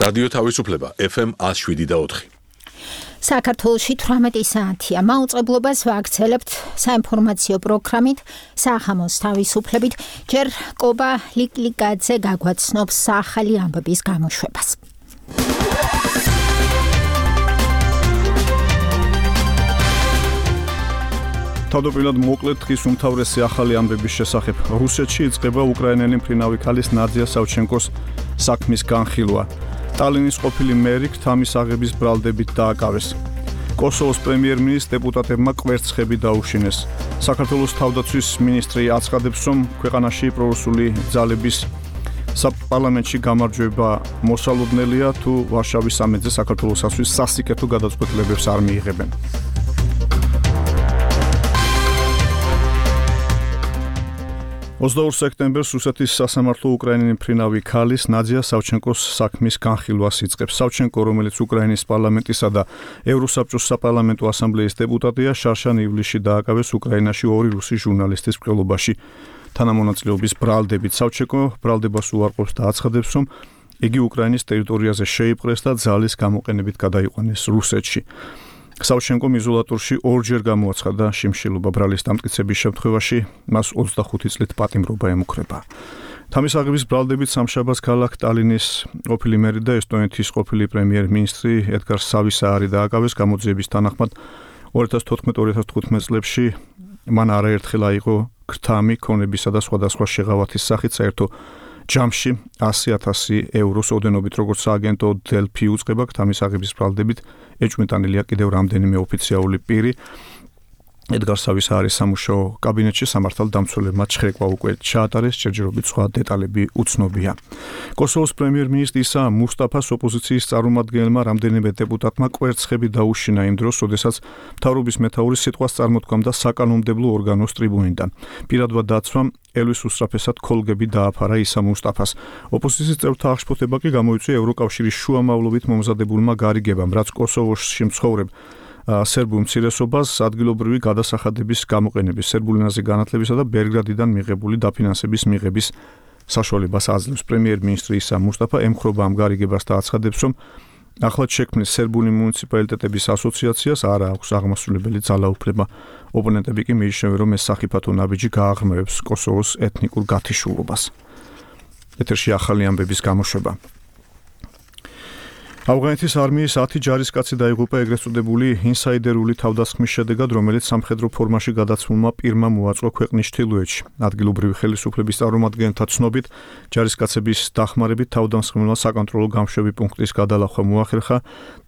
რადიო თავისუფლება FM 107.4. საქართველოში 18 საათია. მაუწყებლობას ვაქცელებთ საინფორმაციო პროგრამით სახამოს თავისუფლებით. ჯერ კობა ლიკლიკაძე გაგვაცნობს ახალი ამბების გამოშვებას. თავდაპირველად მოკლედ დღის უმთავრესი ახალი ამბების შესახებ. რუსეთში იწყება უკრაინელი მფრინავი ქალის ნადია სავჩენკოს საქმის განხილვა. ტალინის ყოფილი მერი ქთამის აღების ბრალდებით დააკავეს. კოსოვოს პრემიერ-მინისტრ დეპუტატებმა კვერცხები დაუშინეს. საქართველოს თავდაცვის მინისტრი აცხადებს, რომ ქვეყანაში პრორუსული ძალების საპარლამენტში გამარჯვება მოსალოდნელია, თუ ვარშავის სამეთზე საქართველოსთვის სასიკეთო გადაწყვეტილებებს არ მიიღებენ. 22 სექტემბერს რუსეთის სასამართლო უკრაინელი მფრინავი ქალის ნადია სავჩენკოს საქმის განხილვას იწყებს. სავჩენკო, რომელიც უკრაინის პარლამენტისა და ევროსაბჭოს საპარლამენტო ასამბლეის დეპუტატია, შარშან ივლისში დააკავეს უკრაინაში ორი რუსი ჟურნალისტის მკვლელობაში. თანამონაწილეობის ბრალდებით სავჩენკო ბრალდებას უარყოფს და აცხადებს, რომ იგი უკრაინის ტერიტორიაზე შეიპყრეს და ძალის გამოყენებით გადაიყვანეს რუსეთში. სავჩენკომ იზოლატორში ორჯერ გამოაცხადა შიმშილობა. ბრალის დამტკიცების შემთხვევაში მას 25 წლით პატიმრობა ემუქრება. თამის აღების ბრალდებით სამშაბათს ქალაქ ტალინის ყოფილი მერი და ესტონეთის ყოფილი პრემიერ-მინისტრი ედგარ სავისაარი დააკავეს. გამოძიების თანახმად 2014-2015 წლებში მან არაერთხელ აიღო ქრთამი, ქონებისა და სხვადასხვა შეღავათის სახით საერთო ჯამში 100,000 ევროს ოდენობით, როგორც სააგენტო დელფი უწყება. ქთამის აღების ბრალდებით ეჭვმიტანილია კიდევ რამდენიმე ოფიციალური პირი. ედგარ სავისაარის სამუშაო კაბინეტში სამართალდამცველებმა ჩხრეკვა უკვე ჩაატარეს, ჯერჯერობით სხვა დეტალები უცნობია. კოსოვოს პრემიერ-მინისტრი ისა მუსტაფას ოპოზიციის წარმომადგენელმა რამდენიმე დეპუტატმა კვერცხები დაუშინა იმ დროს, როდესაც მთავრობის მეთაური სიტყვას წარმოთქვამდა საკანონმდებლო ორგანოს ტრიბუნიდან. პირადმა დაცვამ ელვის უსწრაფესად ქოლგები დააფარა ისა მუსტაფას. ოპოზიციის წევრთა აღშფოთება კი გამოიწვია ევროკავშირის შუამავლობით მომზადებულმა გარიგებამ, რაც კოსოვოში მცხოვრებ სერბულ მცირესობას ადგილობრივი გადასახადების გამოყენების, სერბული ენაზე განათლებისა და ბელგრადიდან მიღებული დაფინანსების მიღების საშუალებას აძლევს. პრემიერ-მინისტრი ისა მუსტაფა ემხრობა ამ გარიგებას და აცხადებს, რომ ახლად შექმნილ სერბული მუნიციპალიტეტების ასოციაციას არ აქვს აღმასრულებელი ძალაუფლება. ოპონენტები კი მიიჩნევენ, რომ ეს სახიფათო ნაბიჯი გააღრმავებს კოსოვოს ეთნიკურ გათიშულობას. ეთერში ახალი ამბების გამოშვება. ავღანეთის არმიის 10 ჯარისკაცი დაიღუპა ეგრეთ წოდებული ინსაიდერული თავდასხმის შედეგად, რომელიც სამხედრო ფორმაში გადაცმულმა პირმა მოაწყო ქვეყნის ჩრდილოეთში. ადგილობრივი ხელისუფლების წარმომადგენელთა ცნობით, ჯარისკაცების დახმარებით თავდამსხმელმა საკონტროლო გამშვები პუნქტის გადალახვა მოახერხა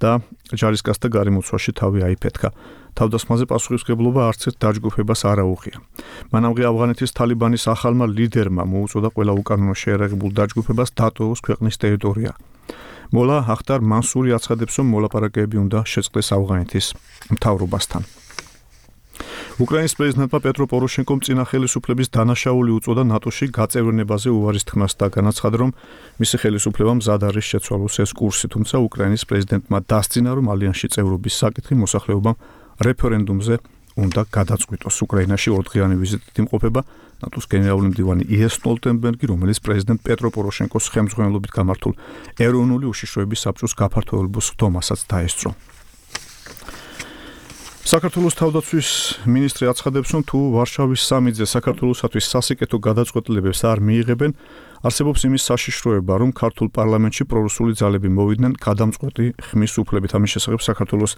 და ჯარისკაცთა გარემოცვაში თავი აიფეთქა. თავდასხმაზე პასუხისმგებლობა არც ერთ დაჯგუფებას არ აუღია. მანამდე ავღანეთის თალიბანის ახალმა ლიდერმა მოუწოდა ყველა უკანონო შეერაღებულ დაჯგუფებას დატოვოს ქვეყნის ტერიტორია. მოლა ახტარ მანსური აცხადებს, რომ მოლაპარაკებები უნდა შეწყდეს ავღანეთის მთავრობასთან. უკრაინის პრეზიდენტმა პეტრო პოროშენკომ წინა ხელისუფლების დანაშაული უწოდა ნატოში გაწევრიანებაზე უარის თქმას და განაცხადა, რომ მისი ხელისუფლება მზად არის შეცვალოს ეს კურსი, თუმცა უკრაინის პრეზიდენტმა დასძინა, რომ ალიანსში წევრობის საკითხი მოსახლეობამ რეფერენდუმზე უნდა გადაწყვიტოს. უკრაინაში ორდღიანი ვიზიტით იმყოფება ნატოს გენერალური მდივანი იენს სტოლტენბერგი, რომელიც პრეზიდენტ პეტრო პოროშენკოს ხელმძღვანელობით გამართულ ეროვნული უშიშროების საბჭოს გაფართოებულ სხდომასაც დაესწრო. საქართველოს თავდაცვის მინისტრი აცხადებს, რომ თუ ვარშავის სამეთზე საქართველოსთვის სასიკეთო გადაწყვეტილებებს არ მიიღებენ, არსებობს იმის საშიშროება, რომ ქართულ პარლამენტში პრორუსული ძალები მოვიდნენ გადამწყვეტი ხმის უფლებით. ამის შესახებ საქართველოს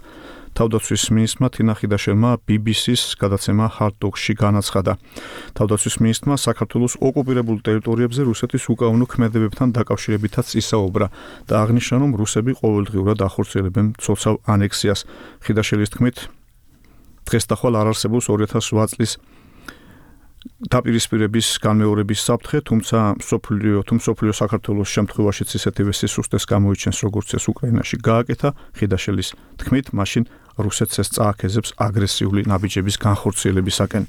თავდაცვის მინისტრმა თინა ხიდაშელმა BBC-ს გადაცემა Hard Talk-ში განაცხადა. თავდაცვის მინისტრმა საქართველოს ოკუპირებულ ტერიტორიებზე რუსეთის უკანონო ქმედებებთან დაკავშირებითაც ისაუბრა და აღნიშნა, რომ რუსები ყოველდღიურად ახორციელებენ მცოცავ ანექსიას. ხიდაშელის თქმით, დღეს და ხვალ არ არსებობს 2008 წლის დაპირისპირების განმეორების საფრთხე, თუმცა მსოფლიო საქართველოს შემთხვევაშიც ისეთივე სისუსტეს გამოიჩენს, როგორც ეს უკრაინაში გააკეთა. ხიდაშელის თქმით, მაშინ რუსეთს ეს წააქეზებს აგრესიული ნაბიჯების განხორციელებისაკენ.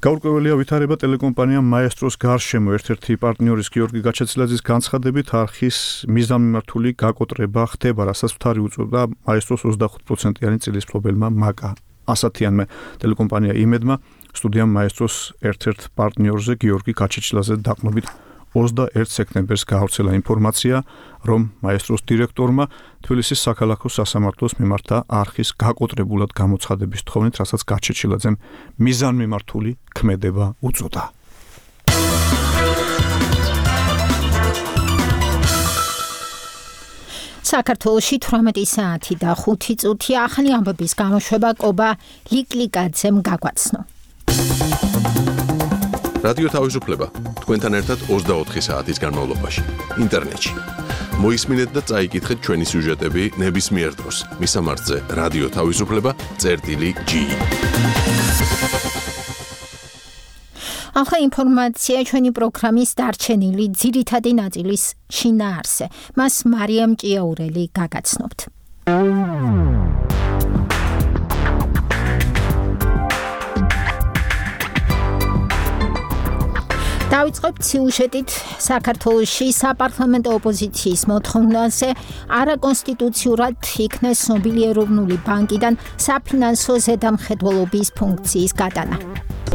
გაურკვეველია ვითარება ტელეკომპანია მაესტროს გარშემო. ერთ-ერთი პარტნიორის გიორგი გაჩეცილაძის განცხადებით, არხის მიზანმიმართული გაკოტრება ხდება, რასაც მთარი უწევდა მაესტროს 25%-იანი წილისფლობელმა მაკა ასათიანმა. ტელეკომპანია იმედმა სტუდიამ მაესტროს ერთ-ერთ პარტნიორზე გიორგი გაჩეჩილაძე დაყრდნობით 21 სექტემბერს გაავრცელა ინფორმაცია, რომ მაესტროს დირექტორმა თბილისის საქალაქო სასამართლოს მიმართა არხის გაკოტრებულად გამოცხადების თხოვნით, რასაც გაჩეჩილაძემ მიზანმიმართული ქმედება უწოდა. საქართველოში 18 საათი და 5 წუთი ახალი ამბების გამოშვება კობა ლიკლიკაძემ გაგვაცნო. რადიო თავისუფლება თქვენთან ერთად 24 საათის განმავლობაში ინტერნეტში. მოისმინეთ და წაიკითხეთ ჩვენი სიუჟეტები ნებისმიერ დროს. მისამართზე რადიო თავისუფლება.gi. ახლა ინფორმაცია ჩვენი პროგრამის დარჩენილი ძირითადი ნაწილის შინაარსზე. მას მარიამ ჭიაურელი გაგაცნობთ. დავიწყებთ სიუჟეტით საქართველოში საპარლამენტო ოპოზიციის მოთხოვნაზე არაკონსტიტუციურად იქნეს ცნობილი ეროვნული ბანკიდან საფინანსო ზედამხედველობის ფუნქციის გადანა.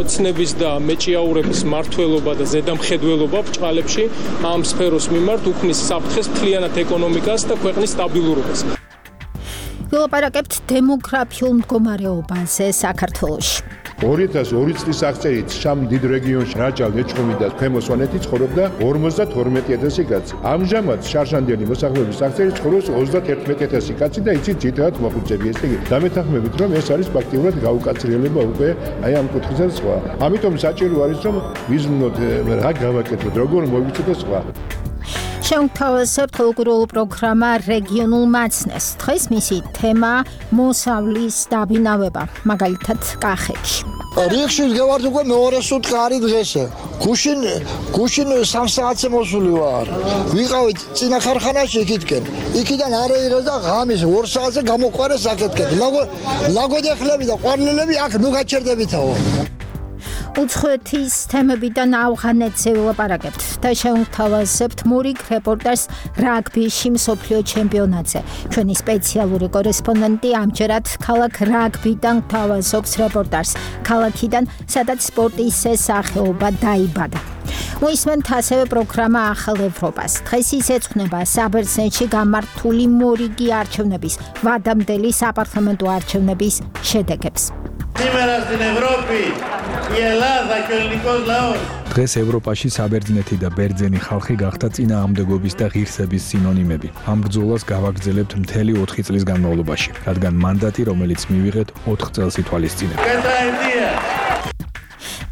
ოცნების და მეჭიაურების მმართველობა და ზედამხედველობა ბრჭყალებში ამ სფეროს მიმართ უქმნის საფრთხეს მთლიანად ეკონომიკას და ქვეყნის სტაბილურობას. ვილაპარაკებთ დემოგრაფიულ მდგომარეობაზე საქართველოში. 2002 წლის აღწერით შამ დიდ რეგიონში რაჭალ ეჭხუმი და ქვემო სვანეთი ცხოვრობდა 52,000 კაცი. ამჟამად შარშანდიანი მოსახლეობის აღწერით ცხოვრობს 31,000 კაცი და იცით ძირითადად მოხუცები. ესე იგი, დამეთანხმებით რომ ეს არის ფაქტიურად გაუკაცრიელება უკვე აი ამ კუთხესაც სხვა. ამიტომ საჭირო არის რომ ვიზმნოთ რა გავაკეთოთ, როგორ მოვიცოთ და სხვა. შევთავაზებთ ლოგურულ პროგრამა რეგიონულ მაცნეს. დღეს მისი თემა მოსავლის დაბინავება, მაგალითად კახეთში. რიხში ვდგევართ უკვე მეორე სუტყი არის დღესე. გუშინ 3 საათზე მოსული ვარ. ვიყავით წინა ხარხანაში იქითკენ. იქიდან არეირა და ღამის 2 საათზე გამოყვარეს აქეთკენ. ლაგოდეხლები და ყვარლელები აქ ნუ გაჩერდებითაო. უცხოეთის თემებიდან ავღანეთზე ვილაპარაკებთ და შევთავაზებთ მურიგ რეპორტაჟს რაგბიში მსოფლიო ჩემპიონატზე. ჩვენი სპეციალური კორესპონდენტი ამჯერად ქალაქ რაგბიდან გვთავაზობს რეპორტაჟს ქალაქიდან, სადაც სპორტის სახეობა დაიბადა. მოისმენთ ასევე პროგრამა ახალ ევროპას. დღეს ის ეძღვნება საბერძნეთში გამართული მორიგი არჩევნების ვადამდელი საპარლამენტო არჩევნების შედეგებს. დღეს ევროპაში საბერძნეთი და ბერძენი ხალხი გახდა წინააღმდეგობის და ღირსების სინონიმები. ამ ბრძოლას გავაგრძელებთ მთელი 4 წლის განმავლობაში, რადგან მანდატი, რომელიც მივიღეთ 4 წელს ითვალისწინებთ.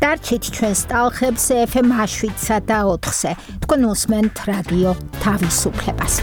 დარჩით ჩვენს ტალხებს FM 7-სა და 4-ზე. თქვენ უსმენთ რადიო თავისუფლებას.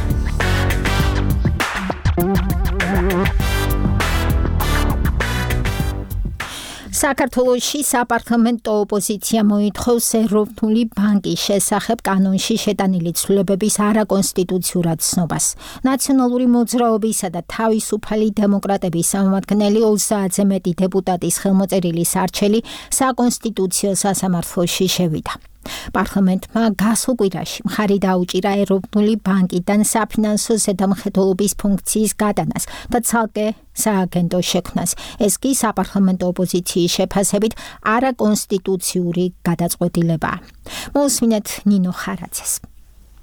საქართველოში საპარლამენტო ოპოზიცია მოითხოვს ეროვნული ბანკის შესახებ კანონში შეტანილი ცვლილებების არაკონსტიტუციურად ცნობას. ნაციონალური მოძრაობისა და თავისუფალი დემოკრატების სამმართველი 30-ზე მეტი დეპუტატის ხელმოწერილი სარჩელი საკონსტიტუციო სასამართლოში შევიდა. პარლამენტმა გასულ კვირაში მხარი დაუჭირა ეროვნული ბანკიდან საფინანსო ზედამხედველობის ფუნქციის გადანას და ცალკე სააგენტოს შექმნას. ეს კი საპარლამენტო ოპოზიციის შეფასებით არაკონსტიტუციური გადაწყვეტილებაა. მოусმინეთ ნინო ხარაძეს.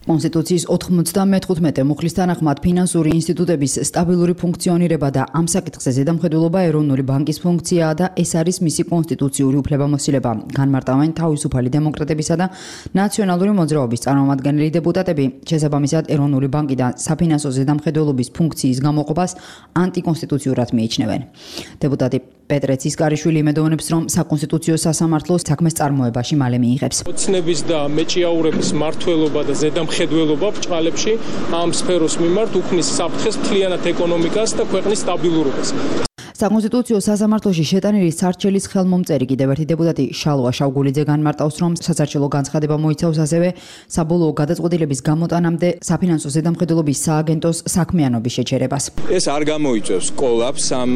კონსტიტუციის 95 მუხლის თანახმად ფინანსური ინსტიტუტების სტაბილური ფუნქციონირება და ამ საკითხზე ზედამხედველობა ეროვნული ბანკის ფუნქციაა და ეს არის მისი კონსტიტუციური უფლებამოსილება. განმარტავენ თავისუფალი დემოკრატებისა და ნაციონალური მოძრაობის წარმომადგენელი დეპუტატები. შესაბამისად, ეროვნული ბანკიდან საფინანსო ზედამხედველობის ფუნქციის გამოყოფას ანტიკონსტიტუციურად მიიჩნევენ. დეპუტატი პეტრე ცისკარიშვილი იმედოვნებს, რომ საკონსტიტუციო სასამართლო საქმეს წარმოებაში მალე მიიღებს. ოცნების და მეჭიაურების მმართველობა და ზედამხედველობა ბრჭყალებში ამ სფეროს მიმართ უქმნის საფრთხეს მთლიანად ეკონომიკას და ქვეყნის სტაბილურობას. საკონსტიტუციო სასამართლოში შეტანილი სარჩელის ხელმომწერი კიდევ ერთი დეპუტატი შალვა შავგულიძე განმარტავს, რომ სასარჩელო განცხადება მოიცავს ასევე საბოლოო გადაწყვეტილების გამოტანამდე საფინანსო ზედამხედველობის სააგენტოს საქმიანობის შეჩერებას. ეს არ გამოიწვევს კოლაფს ამ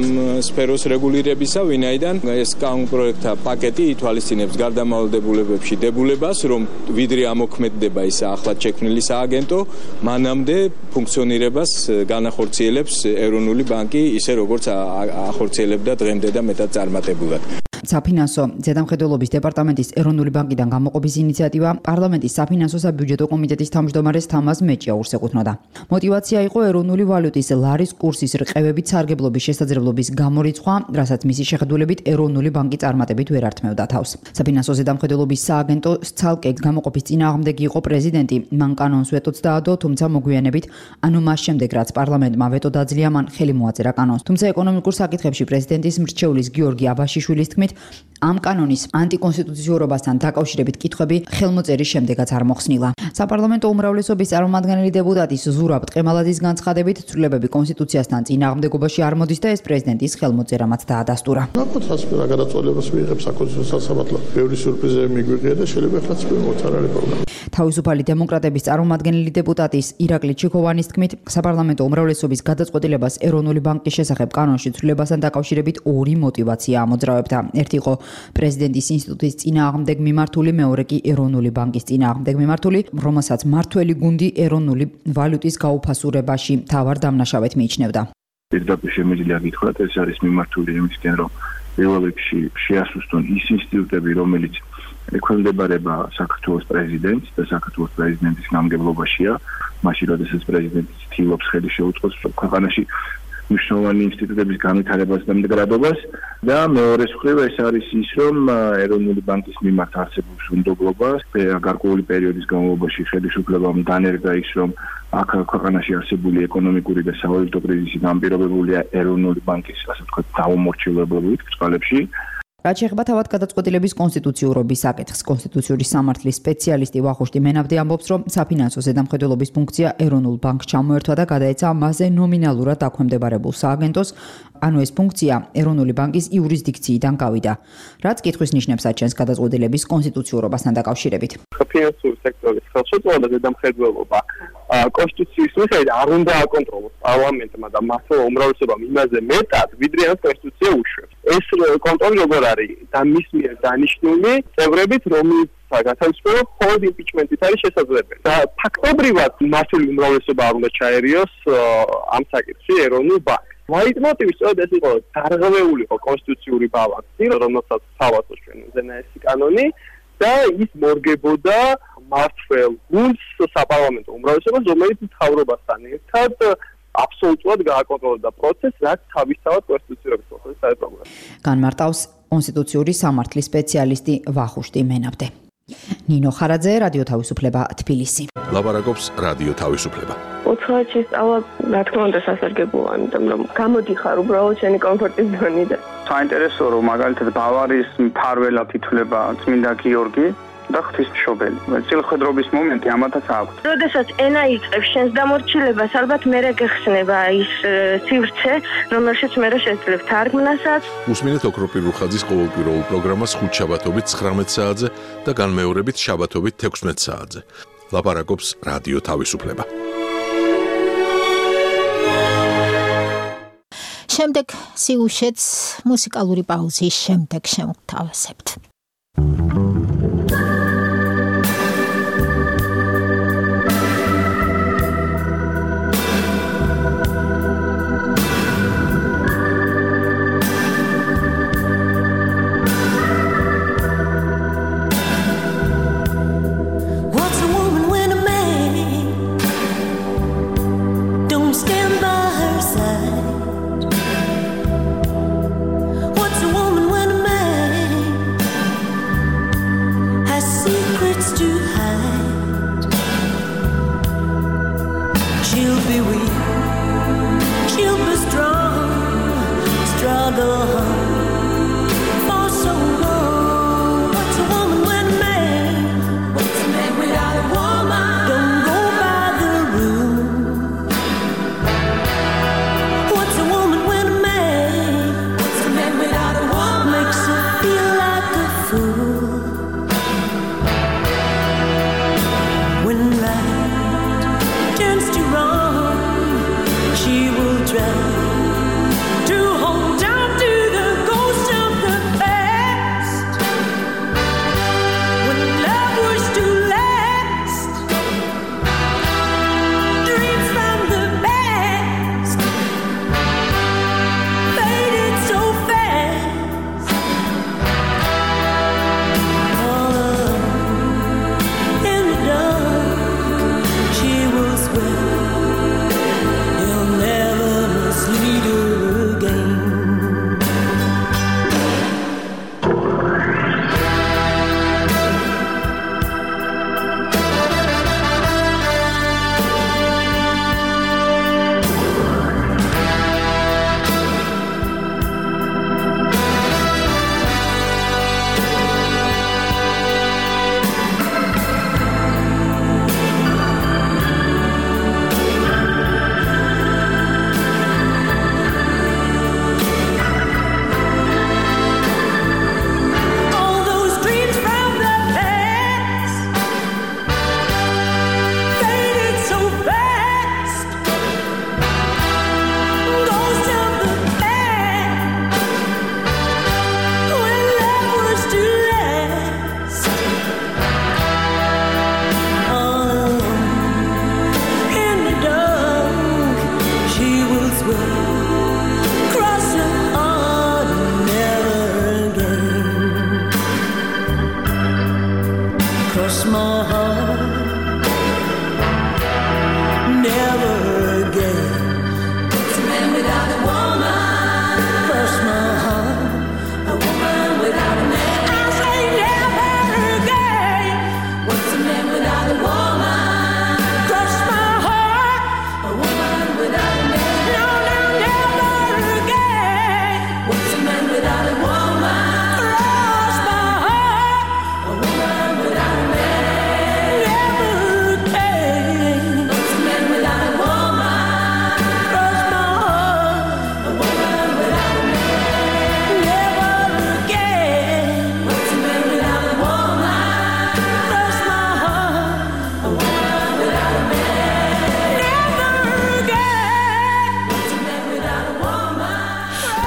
სფეროს რეგულირებისა, ვინაიდან ეს კანონპროექტთა პაკეტი ითვალისწინებს გარდამავალდებულებებში დებულებას, რომ ვიდრე ამოქმედდება ის ახლად შექმნილი სააგენტო, მანამდე ფუნქციონირებას განახორციელებს ეროვნული ბანკი, ისე როგორც ახორციელებდა დღემდე და მეტად წარმატებულად. საფინანსო ზედამხედველობის დეპარტამენტის ეროვნული ბანკიდან გამოყოფის ინიციატივა პარლამენტის საფინანსო საბიუჯეტო კომიტეტის თავმჯდომარეს თამაზ მეჭიაურს ეკუთვნოდა. მოტივაცია იყო ეროვნული ვალუტის ლარის კურსის რყევებით სარგებლობის შესაძლებლობის გამორიცხვა, რასაც მისი შეხედულებით ეროვნული ბანკი წარმატებით ვერ ართმევდა თავს. საფინანსო ზედამხედველობის სააგენტოს ცალკე გამოყოფის წინააღმდეგი იყო პრეზიდენტი. მან კანონს ვეტოც დაადო, თუმცა მოგვიანებით, ანუ მას შემდეგ რაც პარლამენტმა ვეტო დაძლია, მან ხელი მოაწერა კანონს. თუმცა ეკონომიკურ საკითხებში პრეზიდენტის მრჩეულის გიორგი აბაშიშვილის თქმით, ამ კანონის ანტიკონსტიტუციურობასთან დაკავშირებით კითხვები ხელმოწერის შემდეგაც არ მოხსნილა. საპარლამენტო უმრავლესობის წარმომადგენელი დეპუტატის ზურაბ ტყემალაძის განცხადებით, ცვლილებები კონსტიტუციასთან წინააღმდეგობაში არ მოდის და ეს პრეზიდენტის ხელმოწერამაც დაადასტურა. ნაკუთას რა გადაწყვეტილებას მიიღებს საკონსტიტუციო სასამართლო. ბევრი სიურპრიზები მიგვიღია და შეიძლება ახლა წვიმოთ არ არის პრობლემა. თავისუფალი დემოკრატების წარმომადგენელი დეპუტატის ირაკლი ჩიქოვანის თქმით, საპარლამენტო უმრავლესობის გადაწყვეტილებას ეროვნული ბანკის შესახებ კანონში ცვლილებასთან დაკავშირებით ორი მოტივაცია ამოძრავებდა. ერთი იყო პრეზიდენტის ინსტიტუტის წინააღმდეგ მიმართული, მეორე კი ეროვნული ბანკის წინააღმდეგ მიმართული, რომელსაც მართველი გუნდი ეროვნული ვალუტის გაუფასურებაში მთავარ დამნაშავედ მიიჩნევდა. პირდაპირ შემიძლია გითხრათ, ეს არის მიმართული იმისკენ, რომ პირველ რიგში შეასუსტონ ის ინსტიტუტები, რომელიც ექვემდებარება საქართველოს პრეზიდენტს და საქართველოს პრეზიდენტის გამგებლობაშია, მაშინ როდესაც პრეზიდენტი ცდილობს ხელი შეუწყოს ქვეყანაში მნიშვნელოვანი ინსტიტუტების განვითარებას და მდგრადობას და მეორე მხრივ ეს არის ის, რომ ეროვნული ბანკის მიმართ არსებობს უნდობლობას გარკვეული პერიოდის განმავლობაში ხელისუფლებამ დანერგა ის, რომ აქ ქვეყანაში არსებული ეკონომიკური და სავალუტო კრიზისი განპირობებულია ეროვნული ბანკის, ასე ვთქვათ, დაუმორჩილებლობით წყალებში. რაც შეეხება თავად გადაწყვეტილების კონსტიტუციურობის საკითხს, კონსტიტუციური სამართლის სპეციალისტი ვახუშტი მენაბდი ამბობს, რომ საფინანსო ზედამხედველობის ფუნქცია ეროვნულ ბანკს ჩამოერთვა და გადაეცა მასზე ნომინალურად დაქვემდებარებულ სააგენტოს, ანუ ეს ფუნქცია ეროვნული ბანკის იურისდიქციიდან გავიდა. რაც კითხვის ნიშნებს აჩენს გადაწყვეტილების კონსტიტუციურობასთან დაკავშირებით. საფინანსური სექტორის ხელშეწყობა და ზედამხედველობა კონსტიტუციის მიხედვით არ უნდა აკონტროლოს პარლამენტმა და მართლა უმრავლესობამ იმაზე მეტად, ვიდრე ამ კონსტიტუცია უშვებს. ეს კონტროლი როგორ არის და მის მიერ დანიშნული წევრებით, რომელიც განსაკუთრებით მხოლოდ იმპიჩმენტით არის შესაძლებელი. და ფაქტობრივად მართული უმრავლესობა არ უნდა ჩაერიოს ამ საკითხში ეროვნულ ბანკს. ლაიტმოტივი სწორედ ეს იყო, დარღვეული იყო კონსტიტუციური ბალანსი, რომელსაც თავაზობს ჩვენ უზენაესი კანონი და ის მორგებოდა მართლ გუნდს საპარლამენტო უმრავლესობას, რომელიც მთავრობასთან ერთად აბსოლუტურად გააკონტროლებდა პროცესს, რაც თავისთავად კონსტიტუციურობის პროცესს დაეპყრობოდა. განმარტავს კონსტიტუციური სამართლის სპეციალისტი ვახუშტი მენაბდე. ნინო ხარაძე, რადიო თავისუფლება, თბილისი. ლაპარაკობს რადიო თავისუფლება. უცხოეთში სწავლა, რა თქმა უნდა, სასარგებლოა, იმიტომ რომ გამოდიხარ უბრალოდ შენი კომფორტის ზონიდან. საინტერესო რომ მაგალითად ბავარიის მფარველად ითვლება წმინდა გიორგი და ღვთისმშობელი. წილხვედრობის მომენტი ამათაც აქვს. როდესაც ენა იწყებს შენს დამორჩილებას, ალბათ მერე გეხსნება ის სივრცე, რომელშიც მერე შეძლებ თარგმნასაც. უსმინეთ ოქროპირ რუხაძის ყოველკვირეულ პროგრამას ხუთშაბათობით 19 საათზე და განმეორებით შაბათობით 16 საათზე. ლაპარაკობს რადიო თავისუფლება. შემდეგ სიუჟეტს მუსიკალური პაუზის შემდეგ შევთავაზებთ. To hold down to the cross my heart. Never again. What's a man without a woman? Cross my heart. A woman without a man. I say never again. What's a man without a woman? Cross my heart. A woman without a man. No, no, never again. What's a man without a woman? Cross my heart. A woman without a man. Never again. What's a man without a woman? Cross my heart. A woman without a man. Never again. What's a man without a woman? Cross my heart. A woman without a man. Never again. What's a man without a woman?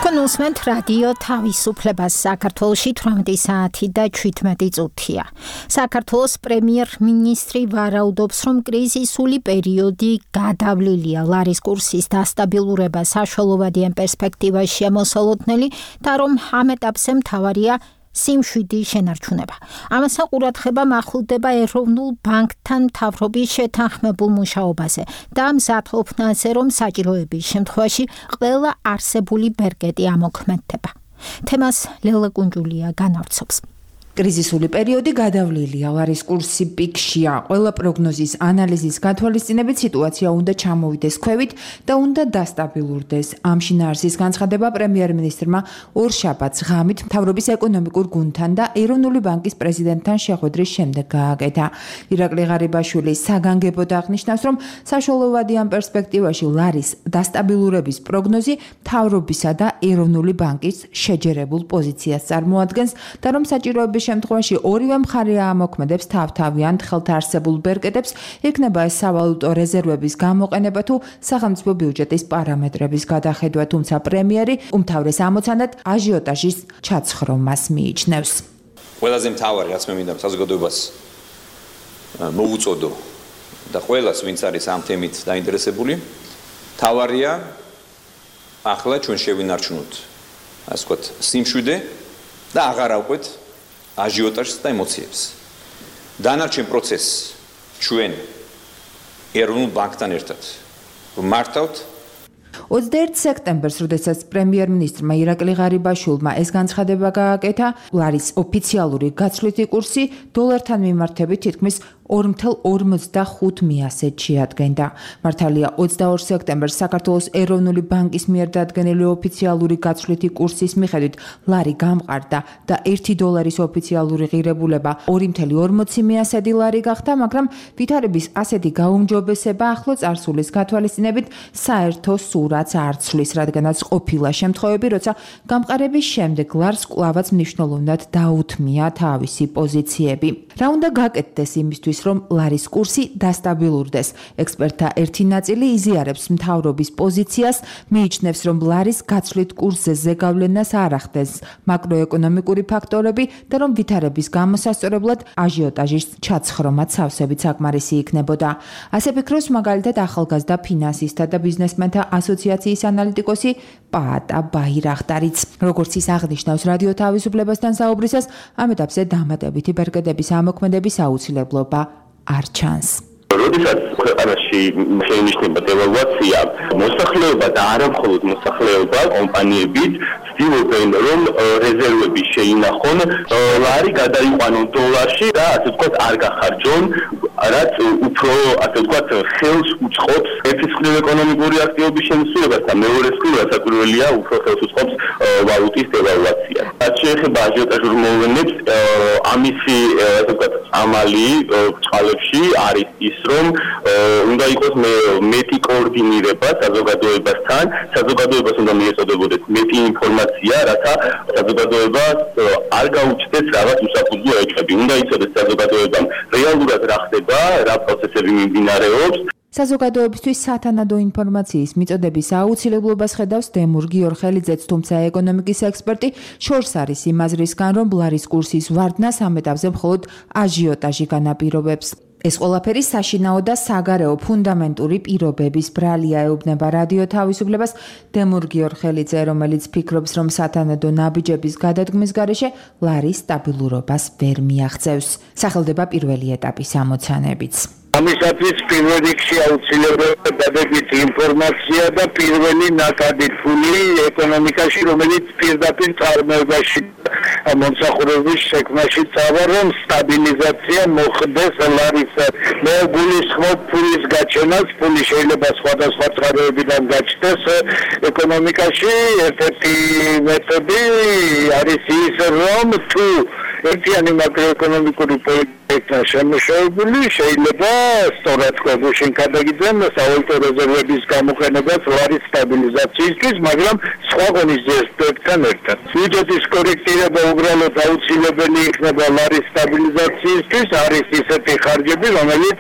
კონუსმენთ რადიო თავისუფლებას საქართველოში 18 საათი და 17 წუთია. საქართველოს პრემიერ-მინისტრი ვარაუდობს, რომ კრიზისული პერიოდი გადავლილია. ლარის კურსის დასტაბილურება საშუალოვადიან პერსპექტივაში ამოსალოდნელი და რომ ამ ეტაპზე მთავარია სიმშვიდი შენარჩუნება. ამასთან ყურადღება მახვილდება ეროვნულ ბანკთან მთავრობის შეთანხმებულ მუშაობაზე და მზადყოფნაზე, რომ საჭიროების შემთხვევაში ყველა არსებული ბერკეტი ამოქმედდება. თემას ლელა კუნჯულია განავრცობს. კრიზისული პერიოდი გადავლილია, ლარის კურსი პიკშია. ყველა პროგნოზის ანალიზის გათვალისწინებით სიტუაცია უნდა ჩამოვიდეს ქვევით და უნდა დასტაბილურდეს. ამ შინაარსის განცხადება პრემიერ-მინისტრმა ორშაბათს ღამით მთავრობის ეკონომიკურ გუნდთან და ეროვნული ბანკის პრეზიდენტთან შეხვედრის შემდეგ გააკეთა. ირაკლი ღარიბაშვილი საგანგებოდ აღნიშნავს, რომ საშუალოვადიან პერსპექტივაში ლარის დასტაბილურების პროგნოზი მთავრობისა და ეროვნული ბანკის შეჯერებულ პოზიციას წარმოადგენს და რომ საჭიროების შემთხვევაში ორივე მხარე ამოქმედებს თავთავიანთ ხელთაარსებულ ბერკეტებს, იქნება ეს სავალუტო რეზერვების გამოყენება თუ სახელმწიფო ბიუჯეტის პარამეტრების გადახედვა, თუმცა პრემიერი უმთავრეს ამოცანად აჟიოტაჟის ჩაცხრომას მიიჩნევს. ყველაზე მთავარი, რაც მე მინდა საზოგადოებას მოუწოდო და ყველას, ვინც არის ამ თემით დაინტერესებული, მთავარია ახლა ჩვენ შევინარჩუნოთ, ასე ვთქვათ, სიმშვიდე და აღარ ავყვეთ აჟიოტაჟს და ემოციებს. დანარჩენ პროცესს ჩვენ ეროვნულ ბანკთან ერთად მართავთ. 21 სექტემბერს, როდესაც პრემიერ-მინისტრმა ირაკლი ღარიბაშვილმა ეს განცხადება გააკეთა, ლარის ოფიციალური გაცვლითი კურსი დოლართან მიმართებით თითქმის 2.45 მიასეთ შეადგენდა. მართალია 22 სექტემბერს საქართველოს ეროვნული ბანკის მიერ დადგენილი ოფიციალური გაცვლითი კურსის მიხედვით ლარი გამყარდა და 1 დოლარის ოფიციალური ღირებულება 2.40 მიასედი ლარი გახდა, მაგრამ ვითარების ასეთი გაუმჯობესება ახლო წარსულის გათვალისწინებით საერთო სურათს არ ცვლის, რადგანაც ყოფილა შემთხვევები, როცა გამყარების შემდეგ ლარს კვლავაც მნიშვნელოვნად დაუთმია თავისი პოზიციები. რა უნდა გაკეთდეს იმისთვის, რომ ლარის კურსი დასტაბილურდეს. ექსპერტთა ერთი ნაწილი იზიარებს მთავრობის პოზიციას, მიიჩნევს, რომ ლარის გაცვლით კურსზე ზეგავლენას არ ახდენს მაკროეკონომიკური ფაქტორები და რომ ვითარების გამოსასწორებლად აჟიოტაჟის ჩაცხრომა სავსებით საკმარისი იქნებოდა. ასე ფიქრობს მაგალითად ახალგაზრდა ფინანსისტთა და ბიზნესმენთა ასოციაციის ანალიტიკოსი პაატა ბაირახტარიც. როგორც ის აღნიშნავს რადიო თავისუფლებასთან საუბრისას, ამ ეტაპზე დამატებითი ბერკეტების ამოქმედების აუცილებლობა არ ჩანს. როდესაც ქვეყანაში შეინიშნება დევალვაცია, მოსახლეობა და არა მხოლოდ მოსახლეობა, კომპანიებიც ცდილობენ, რომ რეზერვები შეინახონ, ლარი გადაიყვანონ დოლარში და ასე ვთქვათ არ გახარჯონ, რაც უფრო ასე ვთქვათ ხელს უწყობს ერთის ეკონომიკური აქტივობის შემცირებას და მეორე საკვირველია უფრო ხელს უწყობს ვალუტის დევალვაცია. რაც შეეხება აჟიოტაჟურ მოვლენებს, ამისი ასე ვთქვათ ამალი წყალებში არის ის, რომ უნდა იყოს მეტი კოორდინირება საზოგადოებასთან, საზოგადოებას უნდა მიეწოდებოდეს მეტი ინფორმაცია, რათა საზოგადოება არ გაუჩნდეს რაღაც უსაფუძვლო ეკები. უნდა იცოდეს საზოგადოებამ რეალურად რა ხდება, რა პროცესები მიმდინარეობს. საზოგადოებისთვის სათანადო ინფორმაციის მიწოდების აუცილებლობას ხედავს დემურ გიორხელიძეც, თუმცა ეკონომიკის ექსპერტი შორს არის იმ აზრისგან, რომ ლარის კურსის ვარდნას ამ ეტაპზე მხოლოდ აჟიოტაჟი განაპირობებს. ეს ყველაფერი საშინაო და საგარეო ფუნდამენტური პირობების ბრალია, ეუბნება რადიო თავისუფლებას დემურ გიორხელიძე, რომელიც ფიქრობს, რომ სათანადო ნაბიჯების გადადგმის გარეშე ლარის სტაბილურობას ვერ მიაღწევს. სახელდება პირველი ეტაპის ამოცანებიც. ამისათვის პირველ რიგში აუცილებელი დადებით ინფორმაცია და პირველი ნაკადი ფული ეკონომიკაში, რომელიც პირდაპირ წარმოებაში მომსახურების შექმნაში წავა, რომ სტაბილიზაცია მოხდეს ლარის. მე გულისხმობ ფულის გაჩენას, ფული შეიძლება სხვადასხვა წყაროებიდან გაჩნდეს ეკონომიკაში. ერთ-ერთი მეთოდი არის ის, რომ თუ ერთიანი მაკროეკონომიკური პოლიტიკა შემუშავებული, შეიძლება სწორად გუშინ გადაგიძენ სავალუტო რეზერვების გამოყენებას ლარის სტაბილიზაციისთვის, მაგრამ სხვა ღონისძიებებთან ერთად. ბიუჯეტის კორექტირება უბრალოდ აუცილებელი იქნება ლარის სტაბილიზაციისთვის, არის ისეთი ხარჯები, რომელიც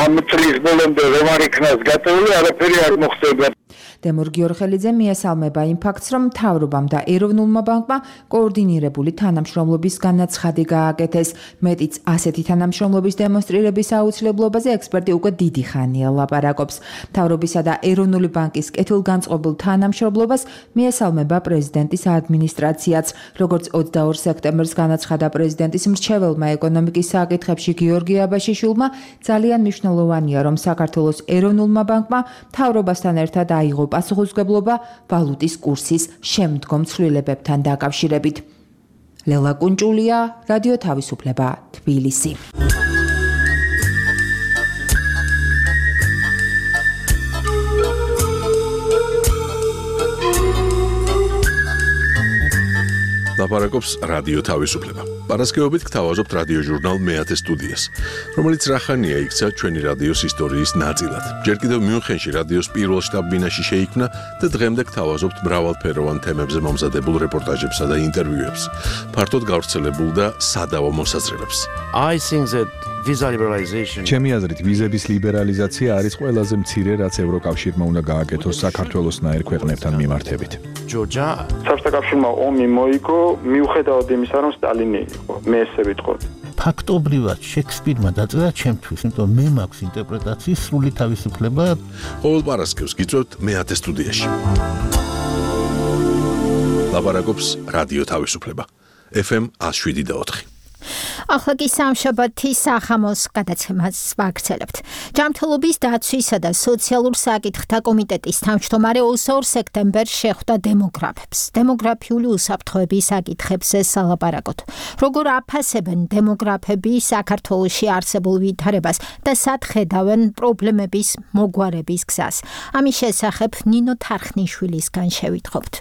ამ წლის ბოლომდე რომ არ იქნას გატეული, არაფერი არ მოხდება. დემურ გიორხელიძე მიესალმება იმ ფაქტს, რომ მთავრობამ და ეროვნულმა ბანკმა კოორდინირებული თანამშრომლობის განაცხადი გააკეთეს. მეტიც ასეთი თანამშრომლობის დემონსტრირების აუცილებლობაზე ექსპერტი უკვე დიდი ხანია ლაპარაკობს. მთავრობისა და ეროვნული ბანკის კეთილგანწყობილ თანამშრომლობას მიესალმება პრეზიდენტის ადმინისტრაციაც. როგორც 22 სექტემბერს განაცხადა პრეზიდენტის მრჩეველმა ეკონომიკის საკითხებში გიორგი აბაშიშვილმა, ძალიან მნიშვნელოვანია, რომ საქართველოს ეროვნულმა ბანკმა მთავრობასთან ერთად აიღო პასუხისმგებლობა ვალუტის კურსის შემდგომ ცვლილებებთან დაკავშირებით. ლელა კუნჭულია, რადიო თავისუფლება, თბილისი. ლაპარაკობს რადიო თავისუფლება. პარასკევობით გთავაზობთ რადიო ჟურნალ მეათე სტუდიას, რომელიც რახანია იქცა ჩვენი რადიოს ისტორიის ნაწილად. ჯერ კიდევ მიუნხენში რადიოს პირველ შტაბ-ბინაში შეიქმნა და დღემდე გთავაზობთ მრავალფეროვან თემებზე მომზადებულ რეპორტაჟებსა და ინტერვიუებს, ფართოდ გავრცელებულ და სადავო მოსაზრებებს. ჩემი აზრით, ვიზების ლიბერალიზაცია არის ყველაზე მცირე, რაც ევროკავშირმა უნდა გააკეთოს საქართველოსნაირ ქვეყნებთან მიმართებით. საბჭოთა კავშირმა ომი მოიგო, მიუხედავად იმისა, რომ სტალინი იყო. მე ესე ვიტყოდი. ფაქტობრივად შექსპირმა დაწერა ჩემთვის, იმიტომ მე მაქვს ინტერპრეტაციის სრული თავისუფლება. ყოველ პარასკევს გიწევთ მეათე სტუდიაში. ლაპარაკობს რადიო თავისუფლება. FM 107.4. ახლა კი სამშაბათის სახამოს გადაცემას ვაგრძელებთ. ჯანმრთელობის დაცვისა და სოციალურ საკითხთა კომიტეტის თავმჯდომარე 22 სექტემბერს შეხვდა დემოგრაფებს. დემოგრაფიული უსაფრთხოების საკითხებზე სალაპარაკოთ. როგორ აფასებენ დემოგრაფები საქართველოში არსებულ ვითარებას და სად ხედავენ პრობლემების მოგვარების გზას. ამის შესახებ ნინო თარხნიშვილისგან შევითხობთ.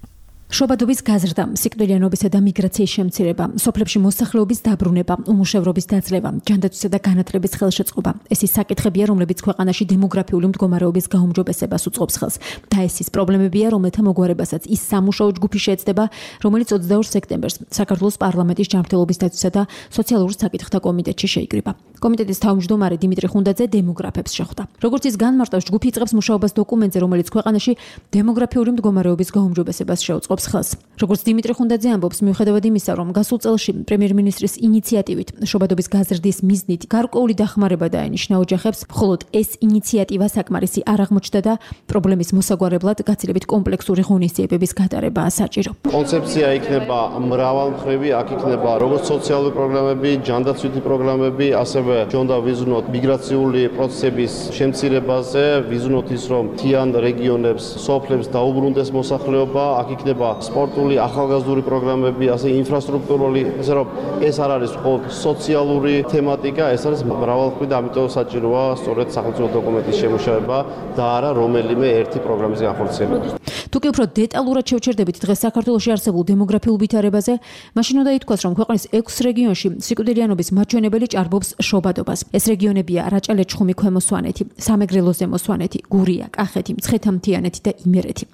შობადობის გაზრდა, სიკვდილიანობისა და მიგრაციის შემცირება, სოფლებში მოსახლეობის დაბრუნება, უმუშევრობის დაძლევა, ჯანდაცვისა და განათლების ხელშეწყობა. ეს ის საკითხებია, რომლებიც ქვეყანაში დემოგრაფიული მდგომარეობის გაუმჯობესებას უწყობს ხელს. და ეს ის პრობლემებია, რომელთა მოგვარებასაც ის სამუშაო ჯგუფი შეეცდება, რომელიც 22 სექტემბერს საქართველოს პარლამენტის ჯანმრთელობის დაცვისა და სოციალურ საკითხთა კომიტეტში შეიკრიბა. კომიტეტის თავმჯდომარე დიმიტრი ხუნდაძე დემოგრაფებს შეხვდა. როგორც ის განმარტავს, ჯგუფი იწყებს მუშაობას დოკუმენტზე, რომელიც ქვეყანაში დემოგრაფიული მდგომარეობის გაუმჯობესებას შეუწყობს ხელს. როგორც დიმიტრი ხუნდაძე ამბობს, მიუხედავად იმისა, რომ გასულ წელში პრემიერ-მინისტრის ინიციატივით შობადობის გაზრდის მიზნით გარკვეული დახმარება დაენიშნა ოჯახებს, მხოლოდ ეს ინიციატივა საკმარისი არ აღმოჩნდა და პრობლემის მოსაგვარებლად გაცილებით კომპლექსური ღონისძიებების გატარებაა საჭირო. კონცეფცია იქნება მრავალმხრივი, აქ იქნება როგორც სოციალური პროგრამები, ჯანდაცვითი პროგრამები, ასევე ჯონდა ვიზუნოთ მიგრაციული პროცესების შემცირებაზე, ვიზუნოთ ის, რომ მთიან რეგიონებს, სოფლებს დაუბრუნდეს მოსახლეობა, აქ იქნება სპორტული, ახალგაზრდული პროგრამები, ასე ინფრასტრუქტურული, ესე რომ ეს არ არის მხოლოდ სოციალური თემატიკა, ეს არის მრავალმხრივი და ამიტომ საჭიროა სწორედ სახელმწიფო დოკუმენტის შემუშავება და არა რომელიმე ერთი პროგრამის განხორციელება. თუკი უფრო დეტალურად შევჩერდებით დღეს საქართველოში არსებულ დემოგრაფიულ ვითარებაზე, მაშინ უნდა ითქვას, რომ ქვეყნის 6 რეგიონში სიკვდილიანობის მაჩვენებელი ჭარბობს შობადობას. ეს რეგიონებია რაჭა-ლეჩხუმი, ქვემო სვანეთი, სამეგრელო ზემო სვანეთი, გურია, კახეთი, მცხეთა-მთიანეთი და იმერეთი.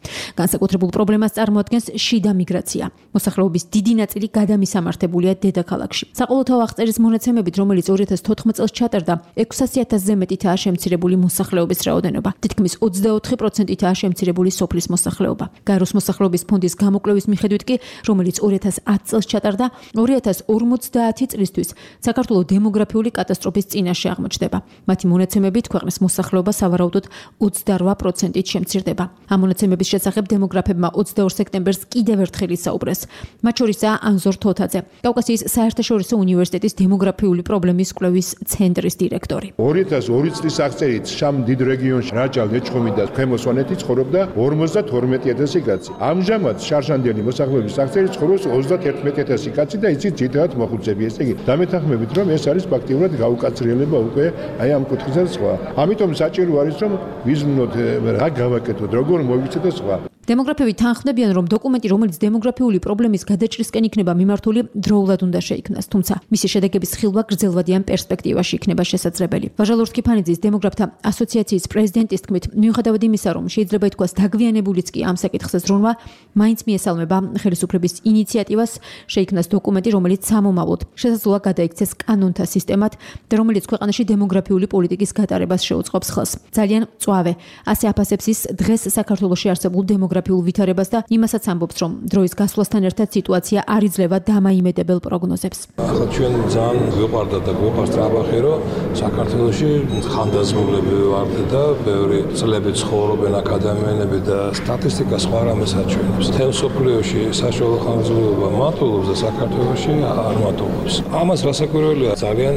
განსაკუთრებულ პრობლემას წარმოადგენს შიდა მიგრაცია. მოსახლეობის დიდი ნაწილი გადამისამართებულია დედაქალაქში. საყოველთაო აღწერის მონაცემებით, რომელიც 2014 წელს ჩატარდა, 600,000-ზე მეტითაა შემცირებული მოსახლეობის რაოდენობა. თითქმის 24%-ითაა შემცირებული სოფლის მოსახლეობა. გაეროს მოსახლეობის ფონდის გამოკვლევის მიხედვით კი, რომელიც 2010 წელს ჩატარდა, 2050 წლისთვის საქართველოს დემოგრაფიული კატასტროფა კატასტროფის წინაშე აღმოჩნდება. მათი მონაცემებით ქვეყნის მოსახლეობა სავარაუდოდ 28%-ით შემცირდება. ამ მონაცემების შესახებ დემოგრაფებმა 22 სექტემბერს კიდევ ერთხელ ისაუბრეს. მათ შორისაა ანზორ თოთაძე, კავკასიის საერთაშორისო უნივერსიტეტის დემოგრაფიული პრობლემის კვლევის ცენტრის დირექტორი. 2002 წლის აღწერით შამ დიდ რეგიონში რაჭა, ლეჩხუმი და ქვემო სვანეთი ცხოვრობდა 52,000 კაცი. ამჟამად შარშანდელი მოსახლეობის აღწერით ცხოვრობს 31,000 კაცი და იცით ძირითადად მოხუცები. ესე იგი, დამეთანხმებით რომ ეს არის ფაქტიურად გაუკაცრიელება უკვე აი ამ კუთხიდან სხვა. ამიტომ საჭირო არის რომ ვიზმნოთ რა გავაკეთოთ, როგორ მოვიქცეთ და სხვა. დემოგრაფები თანხმდებიან, რომ დოკუმენტი, რომელიც დემოგრაფიული პრობლემის გადაჭრისკენ იქნება მიმართული, დროულად უნდა შეიქმნას, თუმცა მისი შედეგების ხილვა გრძელვადიან პერსპექტივაში იქნება შესაძლებელი. ვაჟალურს კიფანიძის დემოგრაფთა ასოციაციის პრეზიდენტის თქმით, მიუხედავად იმისა, რომ შეიძლება ითქვას დაგვიანებულიც კი ამ საკითხზე ზრუნვა, მაინც მიესალმება ხელისუფლების ინიციატივას შეიქმნას დოკუმენტი, რომელიც სამომავლოდ შესაძლოა გადაიქცეს კანონთა სისტემად და რომელიც ქვეყანაში დემოგრაფიული პოლიტიკის გატარებას შეუწყობს ხელს. ძალიან მწვავე, ასე აფასებს ის დღეს საქართველოში არსებულ დემოგრაფიულ ვითარებას და იმასაც ამბობს, რომ დროის გასვლასთან ერთად სიტუაცია არ იძლევა დამაიმედებელ პროგნოზებს. ახლა ჩვენ ძალიან გვიყვარდა და გვიყვარს ტრაბახი, რომ საქართველოში ხანდაზმულები ვართ და ბევრი წლები ცხოვრობენ ადამიანები და სტატისტიკა სხვა რამეს აჩვენებს. მთელ მსოფლიოში საშუალო ხანგრძლივობა მატულობს და საქართველოში არ მატულობს. ამას რასაკვირველია, ძალიან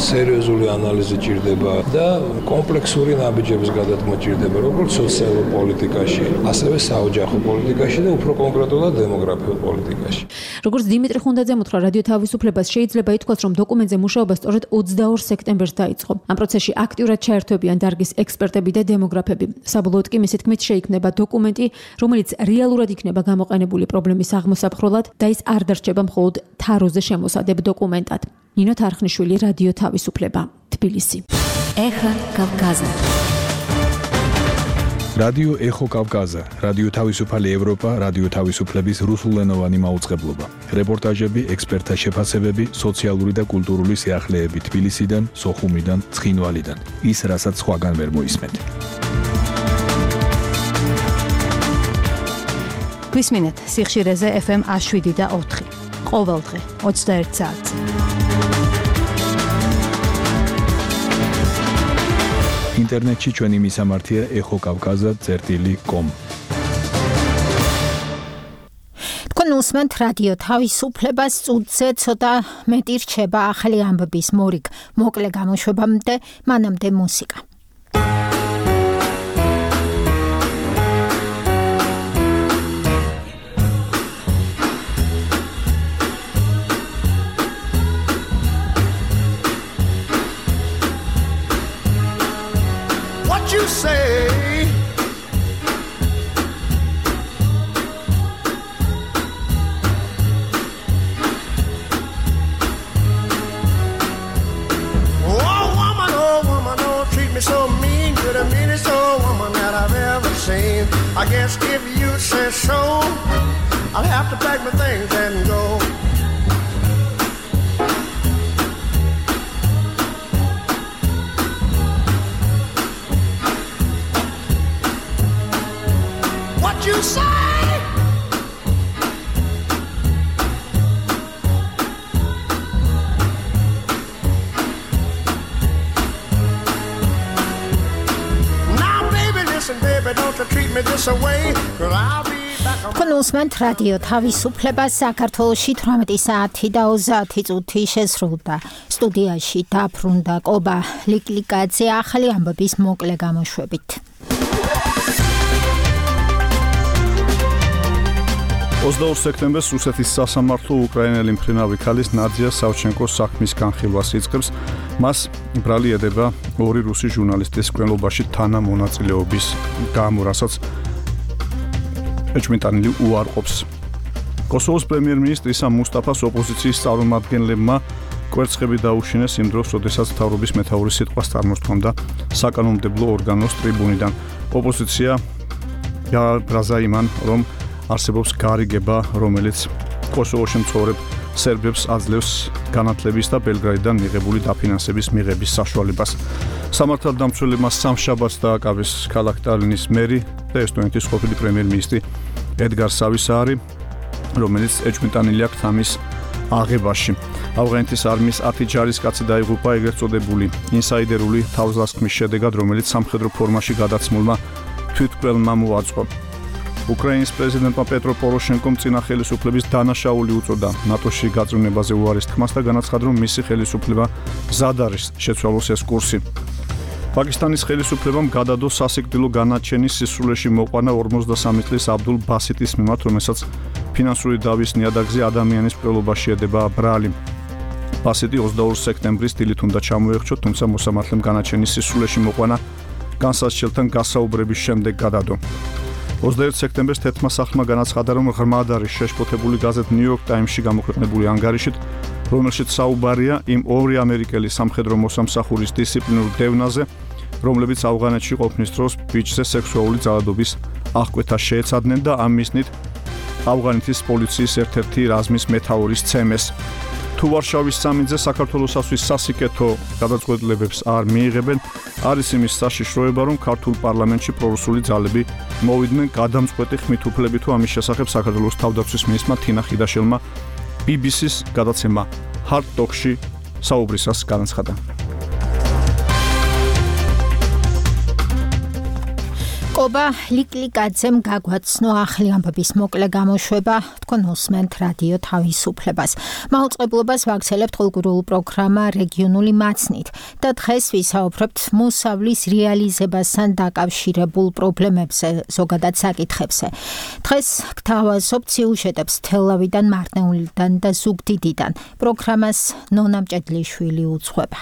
სერიოზული ანალიზი ჭირდება და კომპლექსური ნაბიჯების გადადგმა ჭირდება, როგორც სოციალურ პოლიტიკაში, ასევე საოჯახო პოლიტიკაში და უფრო კონკრეტულად დემოგრაფიულ პოლიტიკაში. როგორც დიმიტრი ხუნდაძემ უთხრა რადიო თავისუფლებას, შეიძლება ითქვას, რომ დოკუმენტზე მუშაობა სწორედ 22 სექტემბერს დაიწყო. ამ პროცესში აქტიურად ჩაერთვებიან დარგის ექსპერტები და დემოგრაფები. საბოლოოდ კი მისი თქმით შეიქმნება დოკუმენტი, რომელიც რეალურად იქნება გამოყენებული პრობლემის აღმოსაფხროლად და ის არ დარჩება მხოლოდ თაროზე შემოსადებ დოკუმენტად. ნინო თარხნიშვილი, რადიო თავისუფლება, თბილისი. ეხა კავკაზა. რადიო ეხო კავკაზა, რადიო თავისუფალი ევროპა, რადიო თავისუფლების რუსულენოვანი მაუწყებლობა. რეპორტაჟები, ექსპერტთა შეფასებები, სოციალური და კულტურული სიახლეები თბილისიდან, სოხუმიდან, ცხინვალიდან. ის, რასაც სხვაგან ვერ მოისმენთ. გვისმინეთ სიხშირეზე FM 107 და 4. ყოველდღე 21 საათზე. ინტერნეტში ჩვენი მისამართია ეხოკავკაზა.com. თქვენ უსმენთ რადიო თავისუფლებას, წუთზე ცოტა მეტი რჩება ახალი ამბების მორიგ მოკლე გამოშვებამდე, მანამდე მუსიკა. You say oh woman, don't treat me so mean. You're the meanest old woman that I've ever seen. I guess if you say so, I'll have to pack my things and go. You say now baby listen baby don't you treat me this away cause I'll be კონსმენთ რადიო თავისუფლება საქართველოში 18 საათი და 30 წუთი შესრულდა. სტუდიაში დაბრუნდა კობა ლიკლიკაძე ახალი ამბების მოკლე გამოშვებით. 22 სექტემბერს რუსეთის სასამართლო უკრაინელი მფრინავი ქალის ნადია სავჩენკოს საქმის განხილვას იწყებს. მას ბრალი ედება ორი რუსი ჟურნალისტის კვლევაში თანამონაწილეობის გამო, რასაც ეჭვმიტანილი უარყოფს. კოსოვოს პრემიერ-მინისტრისა მუსტაფას ოპოზიციის წარმომადგენლებმა კვერცხები დაუშინეს იმ დროს, როდესაც მთავრობის მეთაურის სიტყვას წარმოსთქვამდა საკანონმდებლო ორგანოს ტრიბუნიდან. ოპოზიცია გააზრდა იმან, რომ არსებობს გარიგება, რომელიც კოსოვოში მცხოვრებ სერბებს აძლევს განათლების და ბელგრადიდან მიღებული დაფინანსების მიღების საშუალებას. სამართალდამცველებმა სამშაბათს დააკავეს ქალაქ ტალინის მერი და ესტონეთის ყოფილი პრემიერ-მინისტრი ედგარ სავისაარი, რომელიც ეჭვმიტანილი აქვს ამის აღებაში. ავღანეთის არმიის 10 ჯარისკაცი დაიღუპა ეგრეთ წოდებული ინსაიდერული თავდასხმის შედეგად, რომელიც სამხედრო ფორმაში გადაცმულმა თვითმკვლელმა მოაწყო. უკრაინის პრეზიდენტმა პეტრო პოროშენკომ წინა ხელისუფლების დანაშაული უწოდა ნატოში გაწევნებაზე უარის თქმას და განაცხადა, რომ მისი ხელისუფლება მზად არის შეცვალოს ეს კურსი. პაკისტანის ხელისუფლებამ გადადო სასიკვდილო განაჩენის სისრულეში მოყვანა 53 წლის აბდულ ბასიტის მიმართ, რომელსაც ფინანსური დავის ნიადაგზე ადამიანის მკვლელობაში ედება ბრალი. ბასიტი 22 სექტემბრის დილით უნდა ჩამოეხრჩოთ, თუმცა მოსამართლემ განაჩენის სისრულეში მოყვანა განსაცდელთან გასაუბრების შემდეგ გადადო. 21 სექტემბერს თეთრმა სახლმა განაცხადა, რომ ღრმად არის შეშფოთებული გაზეთ New York Times-ში გამოქვეყნებული ანგარიშით, რომელშიც საუბარია იმ ორი ამერიკელი სამხედრო მოსამსახურის დისციპლინურ დევნაზე, რომლებიც ავღანეთში ყოფნის დროს ბიჭზე სექსუალური ძალადობის აღკვეთა შეეცადნენ და ამ მიზნით ავღანეთის პოლიციის ერთ-ერთი რაზმის მეთაურის ცემეს. თუ ვარშავის სამინძე საქართველოსთვის სასიკეთო გადაწყვეტილებებს არ მიიღებენ, არის იმის საშიშროება, რომ ქართულ პარლამენტში პრორუსული ძალები მოვიდნენ გადამწყვეტი ხმით უფლებით, თუ ამის შესახებ საქართველოს თავდაცვის მინისტრმა თინა ხიდაშელმა BBC-ს გადაცემა Hard Talk-ში საუბრისას განაცხადა. კობა ლიკლიკაძემ გაგვაცნო ახალი ამბების მოკლე გამოშვება, თქვენ უსმენთ რადიო თავისუფლებას. მაუწყებლობას ვაგრძელებთ ყოველკვირეულ პროგრამა რეგიონული მაცნით და დღეს ვისაუბრებთ მოსავლის რეალიზებასთან დაკავშირებულ პრობლემებზე, ზოგადად საკითხებზე. დღეს გთავაზობთ სიუჟეტებს თელავიდან, მარტნეულიდან და ზუგდიდიდან. პროგრამას ნონა მჭედლიშვილი უძღვება.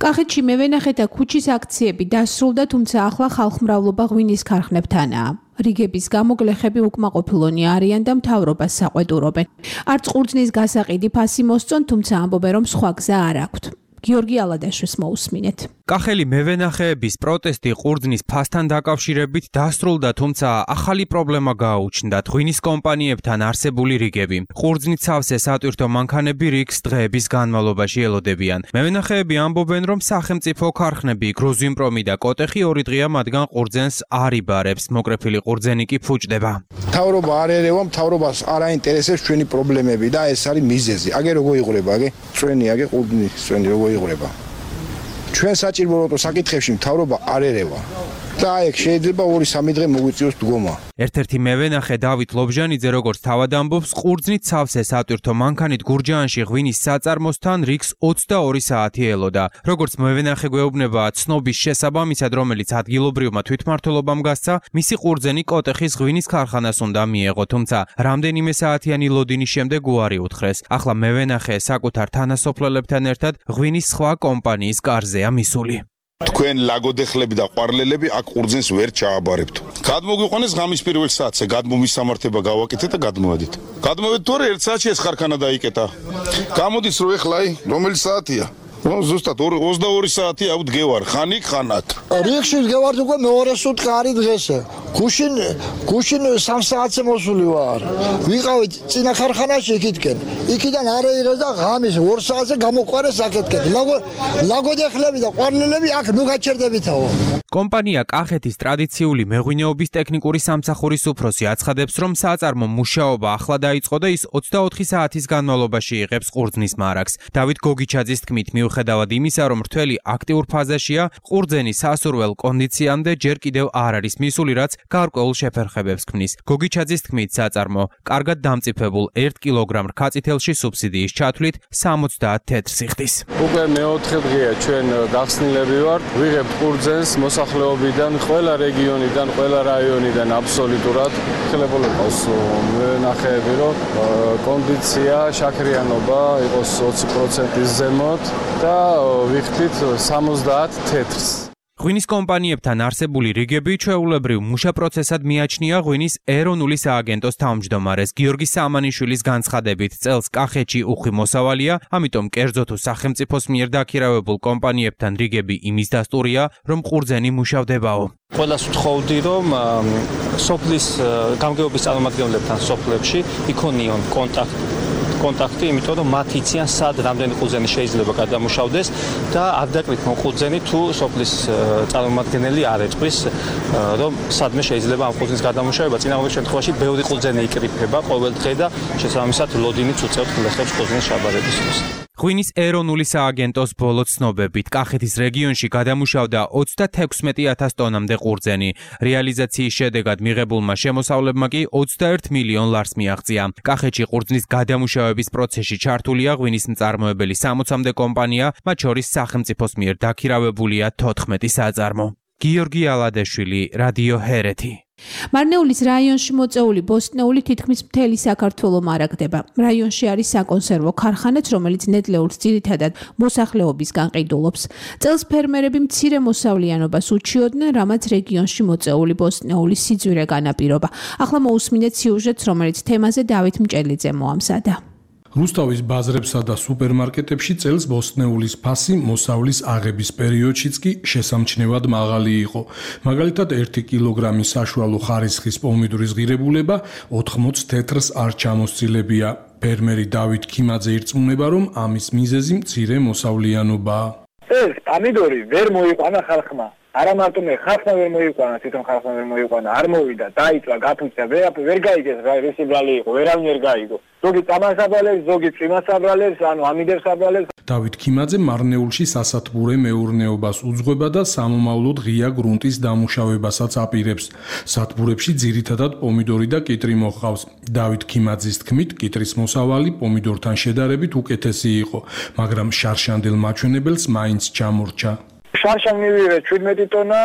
კახეთში მევენახე და ქუჩის აქციები დასრულდა, თუმცა ახლა ხალხმრავლობა ღვინის ქარხნებთანაა. რიგების გამო გლეხები უკმაყოფილონი არიან და მთავრობას საყვედურობენ. არც ყურძნის გასაყიდი ფასი მოსწონ, თუმცა ამბობენ, რომ სხვა გზა არ აქვთ. გიორგი ალადაშვილს მოусმინეთ. კახელი მევენახეების პროტესტი ყურძნის ფასთან დაკავშირებით დასრულდა, თუმცა ახალი პრობლემა გააუჩნდათ ღვინის კომპანიებთან არსებული რიგები. ყურძნით სავსე სატვირთო მანქანები რიგს დღეების განმავლობაში ელოდებიან. მევენახეები ამბობენ, რომ სახელმწიფო ქარხნები გრუზინპრომი და კოტეხი 2 დღეა მათგან ყურძენს არ იბარებს, მოკრეფილი ყურძენი კი ფუჭდება. მთავრობა არ ერევა, მთავრობას არ აინტერესებს ჩვენი პრობლემები და ეს არის მიზეზი. აგე როგორ იღურება, აგე წვენი, აგე ყურძნის წვენი როგორ იღურება. ჩვენ საჭირო საკითხებში მთავრობა არ ერევა. და ეგ შეიძლება 2-3 დღე მოგვიწიოს დგომა. ერთ-ერთი მევენახე დავით ლობჟანიძე როგორც თავად ამბობს, ყურძნით სავსე სატვირთო მანქანით გურჯაანში ღვინის საწარმოსთან რიგს 22 საათი ელოდა. როგორც მევენახე გვეუბნება, ცნობის შესაბამისად, რომელიც ადგილობრივმა თვითმმართველობამ გასცა, მისი ყურძენი კოტეხის ღვინის ქარხანას უნდა მიეღო, თუმცა რამდენიმე საათიანი ლოდინის შემდეგ უარი უთხრეს. ახლა მევენახე საკუთარ თანასოფლელებთან ერთად ღვინის სხვა კომპანიის კარზეა მისული. თქვენ ლაგოდეხლები და ყვარლელები აქ ყურძენს ვერ ჩააბარებთ. გადმოგვიყვანეს ღამის პირველ საათზე, გადმომის სამართება გავაკეთეთ და გადმოვედით. გადმოვედით თორე 1 საათში ეს ხარხანა დაიკეტა. გამოდის რომ ეხლა რომელი საათია? ზუსტად 22 საათი აუთ გევარ, ხანიკ ხანათ. რიგში გევარ უკვე მეორე სუტყა არის დღესე. გუშინ 3 საათზე მოსული ვარ. ვიყავით წინა ხარხანაში იქითკენ. იქიდან არეირა და ღამის 2 საათზე გამოყვარეს აქეთკენ. ლაგოდეხლები და ყვარლელები აქ ნუ გაჩერდებითაო. კომპანია კახეთის ტრადიციული მეღვინეობის ტექნიკური სამსახურის უფროსი აცხადებს, რომ საწარმო მუშაობა ახლა დაიწყო და ის 24 საათის განმავლობაში იღებს ყურძნის მარაგს. დავით გოგიჩაძის თქმით, მიუხედავად იმისა, რომ რთველი აკტიურ ფაზაშია, ყურძენი სასურველ კონდიციამდე ჯერ კიდევ არ არის მისული, რაც გარკვეულ შეფერხებებს ქმნის. გოგიჩაძის თქმით, საწარმო კარგად დამწიფებულ 1 კილოგრამ რქაწითელში სუბსიდიის ჩათვლით 70 თეთრ სიხდის. უკვე მეოთხე დღეა ჩვენ გახსნილები ვართ, ვიღებთ ყურძენს მოსახლეობიდან, ყველა რეგიონიდან, ყველა რაიონიდან აბსოლუტურად. ხელებოლა ყავს მევენახეები, რომ კონდიცია, შაქრიანობა იყოს 20%-ის ზემოთ და ვიხდით 70 თეთრს. ღვინის კომპანიებთან არსებული რიგები ჩვეულებრივ მუშა პროცესად მიაჩნია ღვინის ეროვნული სააგენტოს თავმჯდომარეს გიორგი სამანიშვილის განცხადებით, წელს კახეთში უხვი მოსავალია, ამიტომ კერძო თუ სახელმწიფოს მიერ დაქირავებულ კომპანიებთან რიგები იმის დასტურია, რომ ყურძენი მუშავდებაო. ყველას ვთხოვდი, რომ სოფლის გამგეობის წარმომადგენლებთან სოფლებში იქონიონ კონტაქტი, იმიტომ რომ მათ იციან სად რამდენი ყურძენი შეიძლება გადამუშავდეს და არ დაკრით ყურძენი თუ სოფლის წარმომადგენელი არ ეწვის რომ სადმე შეიძლება ამ ყურძენის გადამუშავება. წინააღმდეგ შემთხვევაში ბევრი ყურძენი იკრიფება ყოველ დღე და შესაბამისად ლოდინიც უწევთ გლეხებს ყურძენის შაბარებისთვის. ღვინის ეროვნული სააგენტოს ბოლო ცნობებით კახეთის რეგიონში გადამუშავდა 36,000 ტონამდე ყურძენი. რეალიზაციის შედეგად მიღებულმა შემოსავლებმა კი 21 მილიონ ლარს მიაღწია. კახეთში ყურძნის გადამუშავების პროცესში ჩართულია ღვინის მწარმოებელი 60-მდე კომპანია, მათ შორის სახელმწიფოს მიერ დაქირავებულია 14 საწარმო. გიორგი ალადეშვილი, რადიო ჰერეთი. მარნეულის რაიონში მოწეული ბოსტნეული თითქმის მთელი საქართველოს მარაგდება. რაიონში არის საკონსერვო ქარხანაც, რომელიც ნედლეულს ძირითადად მოსახლეობისგან ყიდულობს. წელს ფერმერები მცირე მოსავლიანობას უჩიოდნენ, რამაც რეგიონში მოწეული ბოსტნეულის სიძვირე განაპირობა. ახლა მოусმინეთ სიუჟეტს, რომელიც თემაზე დავით მჭელიძე მოამზადა. რუსთავის ბაზრებსა და სუპერმარკეტებში წელს ბოსტნეულის ფასი მოსავლის აღების პერიოდშიც კი შესამჩნევად მაღალი იყო. მაგალითად 1 კილოგრამის საშუალო ხარისხის პომიდორის ღირებულება 80 თეთრს არ ჩამოსცილებია. ფერმერი დავით ქიმაძე ირწმუნება, რომ ამის მიზეზი მცირე მოსავლიანობაა. ეს პომიდორი ვერ მოიყვანა ხალხმა. არა მარტო მე ხალხმა ვერ მოიყვანა, თვითონ ხალხმა ვერ მოიყვანა, არ მოვიდა, დაიწვა, გაფუძნა, ვერ გაიგეს რა ეს ბრალი იყო, ვერავინ ვერ გაიგო. ზოგი წამას აბრალებს, ზოგი წვიმას აბრალებს, ანუ ამიდებს აბრალებს. დავით ქიმაძე მარნეულში სასათბურე მეურნეობას უძღვება და სამომავლოდ ღია გრუნტის დამუშავებასაც აპირებს. სათბურებში ძირითადად პომიდორი და კიტრი მოჰყავს. დავით ქიმაძის თქმით, კიტრის მოსავალი პომიდორთან შედარებით უკეთესი იყო, მაგრამ შარშანდელ მაჩვენებელს მაინც ჩამორჩა. შარშან მივიღე 17 ტონა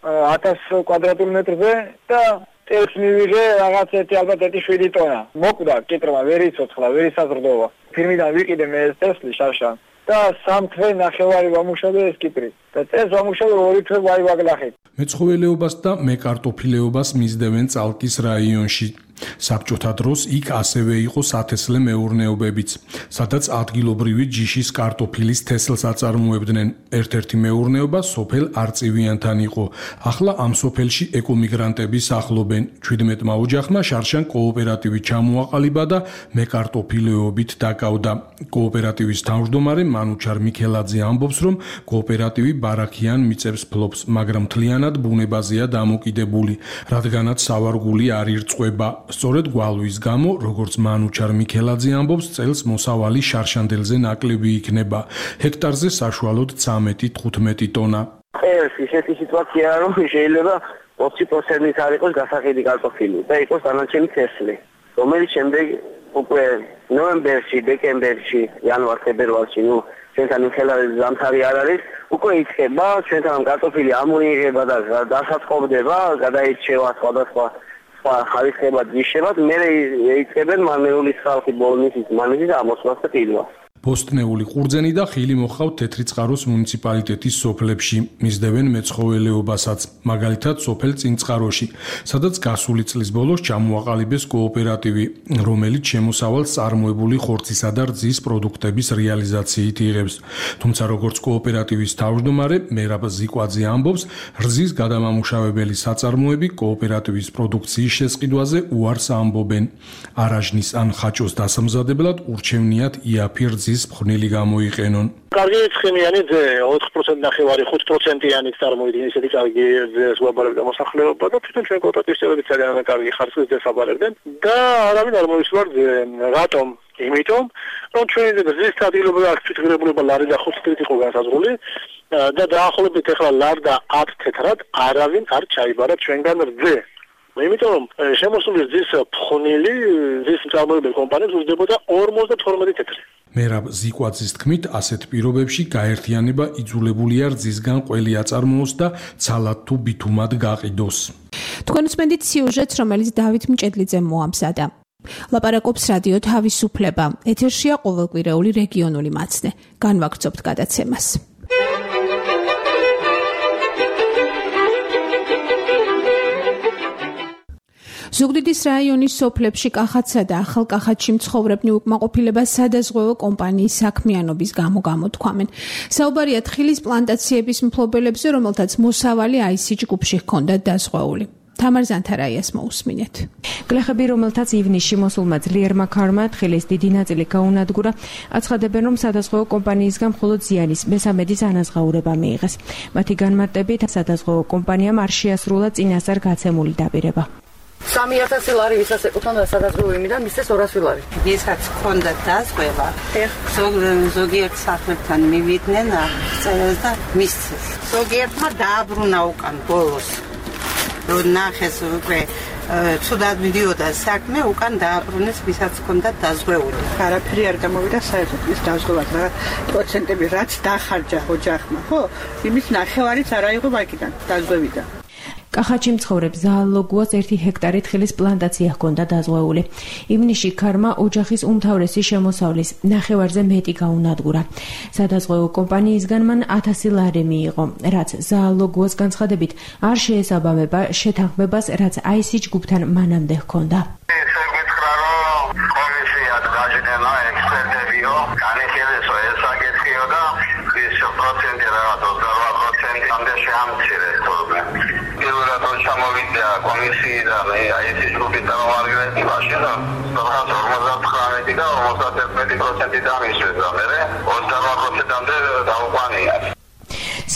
1000 კვადრატულ მეტრზე და ტელს მივიღე რაღაც ალბათ 7 ტონა. მოკვდა კიტრმა, ვერ იცოცხლა, ვერ ისაზრდოვა. ფირმიდან ვიყიდე მე ეს ტესლი შარშან და 3 თვე ნახევარი ვამუშავე ეს კიტრი. და წელს ვამუშავე 2 თვე ვაივაგლახით. მეცხოველეობას და მეკარტოფილეობას მისდევენ წალკის რაიონში. საბჭოთა დროს იქ ასევე იყო სათესლე მეურნეობებიც, სადაც ადგილობრივი ჯიშის კარტოფილის თესლს აწარმოებდნენ. ერთ-ერთი მეურნეობა სოფელ არწივიანთან იყო. ახლა ამ სოფელში ეკომიგრანტები სახლობენ. 17-მა ოჯახმა შარშან კოოპერატივი ჩამოაყალიბა და მეკარტოფილეობით დაკავდა. კოოპერატივის თავმჯდომარე მანუჩარ მიქელაძე ამბობს, რომ კოოპერატივი ბარაქიან მიწებს ფლობს, მაგრამ მთლიანად ბუნებაზეა დამოკიდებული, რადგანაც სავარგული არ ირწყვება. სწორედ გვალვის გამო, როგორც მანუჩარ მიქელაძე ამბობს, წელს მოსავალი შარშანდელზე ნაკლები იქნება. ჰექტარზე საშუალოდ 13-15 ტონა. ეს ისეთი სიტუაცია, რომ შეიძლება 20%-ით არ იყოს გასაყიდი კარტოფილი და იყოს დანარჩენი თესლი, რომელიც შემდეგ უკვე ნოემბერში, დეკემბერში, იანვარ-ფებრუარში, ჩვენთან ხელარი ზამთარი არ არის, უკვე იწყება ჩვენთან კარტოფილი ამოიღება და დასაწყობდება, გადაირჩევა სხვადასხვა ხარისხებად, ჯიშებად, მერე იწყებენ მარნეულის ხალხი ბოლნისის მანეჯის ამოსვლას და ყიდვას. ბოსტნეული ყურძენი და ხილი მოჰყავთ თეთრიწყაროს მუნიციპალიტეტის სოფლებში, მისდევენ მეცხოველეობასაც, მაგალითად სოფელ წინწყაროში, სადაც გასული წლის ბოლოს ჩამოაყალიბეს კოოპერატივი, რომელიც შემოსავალს წარმოებული ხორცისა და რძის პროდუქტების რეალიზაციით იღებს. თუმცა როგორც კოოპერატივის თავმჯდომარე მერაბ ზიკვაძე ამბობს, რძის გადამამუშავებელი საწარმოები კოოპერატივის პროდუქციის შესყიდვაზე უარს ამბობენ. არაჟნის ან ხაჭოს დასამზადებლად ურჩევნიათ იაფი რძის მხნილი გამოიყენონ. კარგი ცხენიანი ძე 4% ნახევარი 5%-იანი წარმოიდგინე ისეთი კარგი ძეს ვაბარებდა მოსახლეობა და თვითონ ჩვენ კოოპერატივის წევრები ძალიან კარგი ხარისხის ძეს აბარებდნენ და არავინ არ მოისვარ რატომ? იმიტომ რომ ჩვენი რძის ადგილობრივი აღჭურვილება ლარი და 5 თეთრით იყო განსაზღვრული და დაახლოებით ახლა ლარ და 10 თეთრად არავინ არ ჩაიბარა ჩვენგან რძე. იმიტომ რომ შემოსული რძის ფხვნილი რძის მწარმოებელი კომპანიებს უძლებოდა 52 თეთრი. მერაბ ზიკვაძის თქმით, ასეთ პირობებში გაერთიანება იძულებულია რძისგან ყველი აწარმოოს და ცალად თუ ბითუმად გაყიდოს. თქვენ უსმენთ სიუჟეტს, რომელიც დავით მჭედლიძემ მოამზადა. ლაპარაკობს რადიო თავისუფლება. ეთერშია ყოველკვირეული რეგიონული მაცნე. განვაგრძობთ გადაცემას. ზუგდიდის რაიონის სოფლებში კახათსა და ახალკახათში მცხოვრებნი უკმაყოფილება სადაზღვევო კომპანიის საქმიანობის გამო გამოთქვამენ. საუბარია თხილის პლანტაციების მფლობელებზე, რომელთაც მოსავალი IC ჯგუფში ჰქონდათ დაზღვეული. თამარ ზანთარაიას მოусმინეთ. გლეხები, რომელთაც ივნისში მოსულმა ძლიერმა ქარმა თხილის დიდი ნაწილი გაუნადგურა, აცხადებენ, რომ სადაზღვევო კომპანიისგან მხოლოდ ზიანის მესამედის ანაზღაურება მიიღეს. მათი განმარტებით, სადაზღვევო კომპანიამ არ შეასრულა წინასწარ გაცემული დაპირება. 3000 ლარი ვისაც ეკუთვნოდა სადაზღვევო იმიდან მისცეს 200 ლარი. ვისაც ჰქონდა დაზღვევა, ზოგიერთ სახლებთან მივიდნენ წერილს და მისცეს. ზოგიერთმა დააბრუნა უკან ბოლოს. რომ ნახეს უკვე ცუდად მიდიოდა საქმე, უკან დააბრუნეს ვისაც ჰქონდა დაზღვეული. არაფერი არ გამოვიდა საერთოდ ის დაზღვევად, რა პროცენტები რაც დახარჯა ოჯახმა, ხო? იმის ნახევარიც არ აიღო ვაკიდან დაზღვევიდან. კახეთში მცხოვრებს ზაალოგუას 1 ჰექტარი თხილის პლანტაცია ჰქონდა დაზღვეული. ივნისში ქარმა ოჯახის უმთავრესი შემოსავლის ნახევარზე მეტი გაუნადგურა. სადაზღვევო კომპანიისგან მან 1000 ლარი მიიღო, რაც ზაალოგუას განცხადებით არ შეესაბამება შეთანხმებას, რაც აისი ჯგუფთან მანამდე ჰქონდა. ჩამოვიდა კომისიიდან აისი ჯგუფის წარმომადგენლები მაშინ 59 და 51% დამისვეს და მე 28%-მდე დაუყვანია.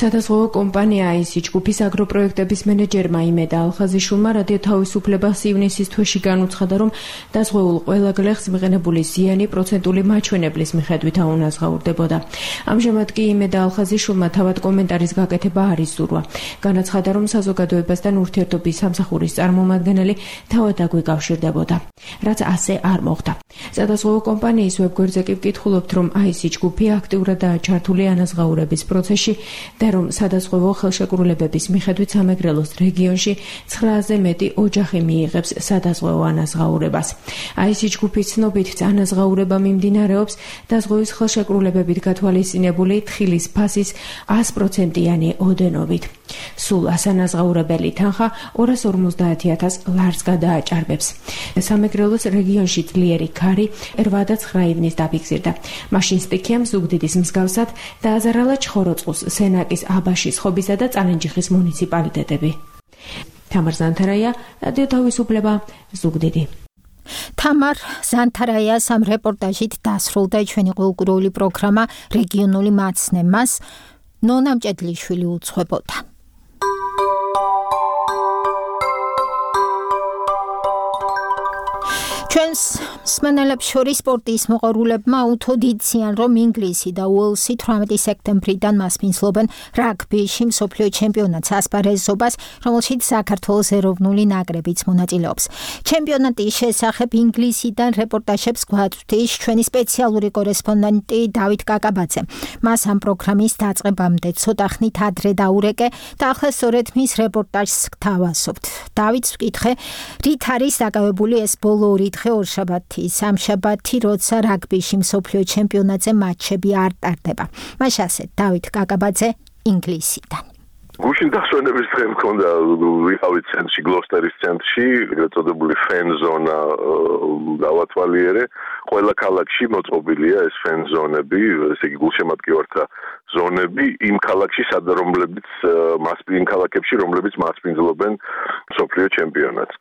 სადაზღვევო კომპანია აისი ჯგუფის აგროპროექტების მენეჯერმა იმედა ალხაზიშვილმა რადიო თავისუფლებას ივნისის თვეში განუცხადა, რომ დაზღვეულ ყველა გლეხს მიღებული ზიანი პროცენტული მაჩვენებლის მიხედვით აუნაზღაურდებოდა. ამჟამად კი იმედა ალხაზიშვილმა თავად კომენტარის გაკეთება არ იზურვა. განაცხადა, რომ საზოგადოებასთან ურთიერთობის სამსახურის წარმომადგენელი თავად აგვიკავშირდებოდა, რაც ასე არ მოხდა. სადაზღვევო კომპანიის ვებგვერდზე კი ვკითხულობთ, რომ აისი ჯგუფი აქტიურადაა ჩართული ანაზღაურების პროცესში და რომ სადაზღვევო ხელშეკრულებების მიხედვით სამეგრელოს რეგიონში 900-ზე მეტი ოჯახი მიიღებს სადაზღვევო ანაზღაურებას. აისი ჯგუფის ცნობით ანაზღაურება მიმდინარეობს დაზღვევის ხელშეკრულებებით გათვალისწინებული თხილის ფასის 100%-იანი ოდენობით. სულ ასანაზღაურებელი თანხა 250,000 ლარს გადააჭარბებს. სამეგრელოს რეგიონში ძლიერი ქარი 8 და 9 ივნის დაფიქსირდა. მაშინ სტიქიამ ზუგდიდის მსგავსად დააზარალა ჩხოროწყუს, სენაკის, აბაშის, ხობისა და წალენჯიხის მუნიციპალიტეტები. თამარ ზანთარაია, რადიო თავისუფლება, ზუგდიდი. თამარ ზანთარაიას ამ რეპორტაჟით დასრულდა ჩვენი ყოველკვირეული პროგრამა რეგიონული მაცნემას. ნონა მჭედლიშვილი უძღვებოდა. ჩვენს მსმენელებს შორის სპორტის მოყვარულებმა უთოდ იციან, რომ ინგლისი და უელსი 18 სექტემბრიდან მასპინძლობენ რაგბიში მსოფლიო ჩემპიონატს ასპარეზობას, რომელშიც საქართველოს ეროვნული ნაკრებიც მონაწილეობს. ჩემპიონატის შესახებ ინგლისიდან რეპორტაჟებს გვაწვდის ჩვენი სპეციალური კორესპონდენტი დავით კაკაბაძე. მას ამ პროგრამის დაწყებამდე ცოტა ხნით ადრე დაურეკე და ახლა სწორედ მის რეპორტაჟს გთავაზობთ. დავით, ვკითხე, რით არის დაკავებული ეს ბოლო ორშაბათი, სამშაბათი, როცა რაგბიში მსოფლიო ჩემპიონატზე მატჩები არ ტარდება. მას ასე დავით კაკაბაძე ინგლისიდან. გუშინ დასვენების დღე მქონდა, ვიყავით ცენტრში, გლოსტერის ცენტრში, ეგრეთ წოდებული ფენ ზონა დავათვალიერე. ყველა ქალაქში მოწყობილია ეს ფენ ზონები, ესე იგი გულშემატკივართა ზონები იმ ქალაქში, რომლებიც იმ ქალაქებში, რომლებიც მასპინძლობენ მსოფლიო ჩემპიონატს.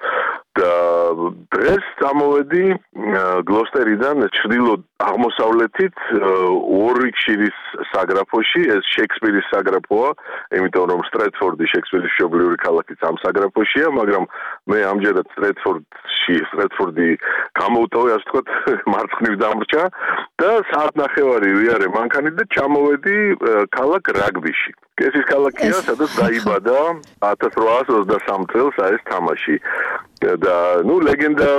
და დღეს წამოვედი გლოსტერიდან ჩრდილო აღმოსავლეთით უორვიკშირის საგრაფოში, ეს შექსპირის საგრაფოა, იმიტომ რომ სტრეტფორდი შექსპირის მშობლიური ქალაქიც ამ საგრაფოშია, მაგრამ მე ამჯერად სტრეტფორდი გამოვტოვე, ასე ვთქვათ, მარცხნივ დამრჩა და საათნახევარი ვიარე მანქანით და ჩამოვედი ქალაქ რაგბიში. ეს ის ქალაქია, სადაც დაიბადა 1823 წელს ეს თამაში. და ლეგენდა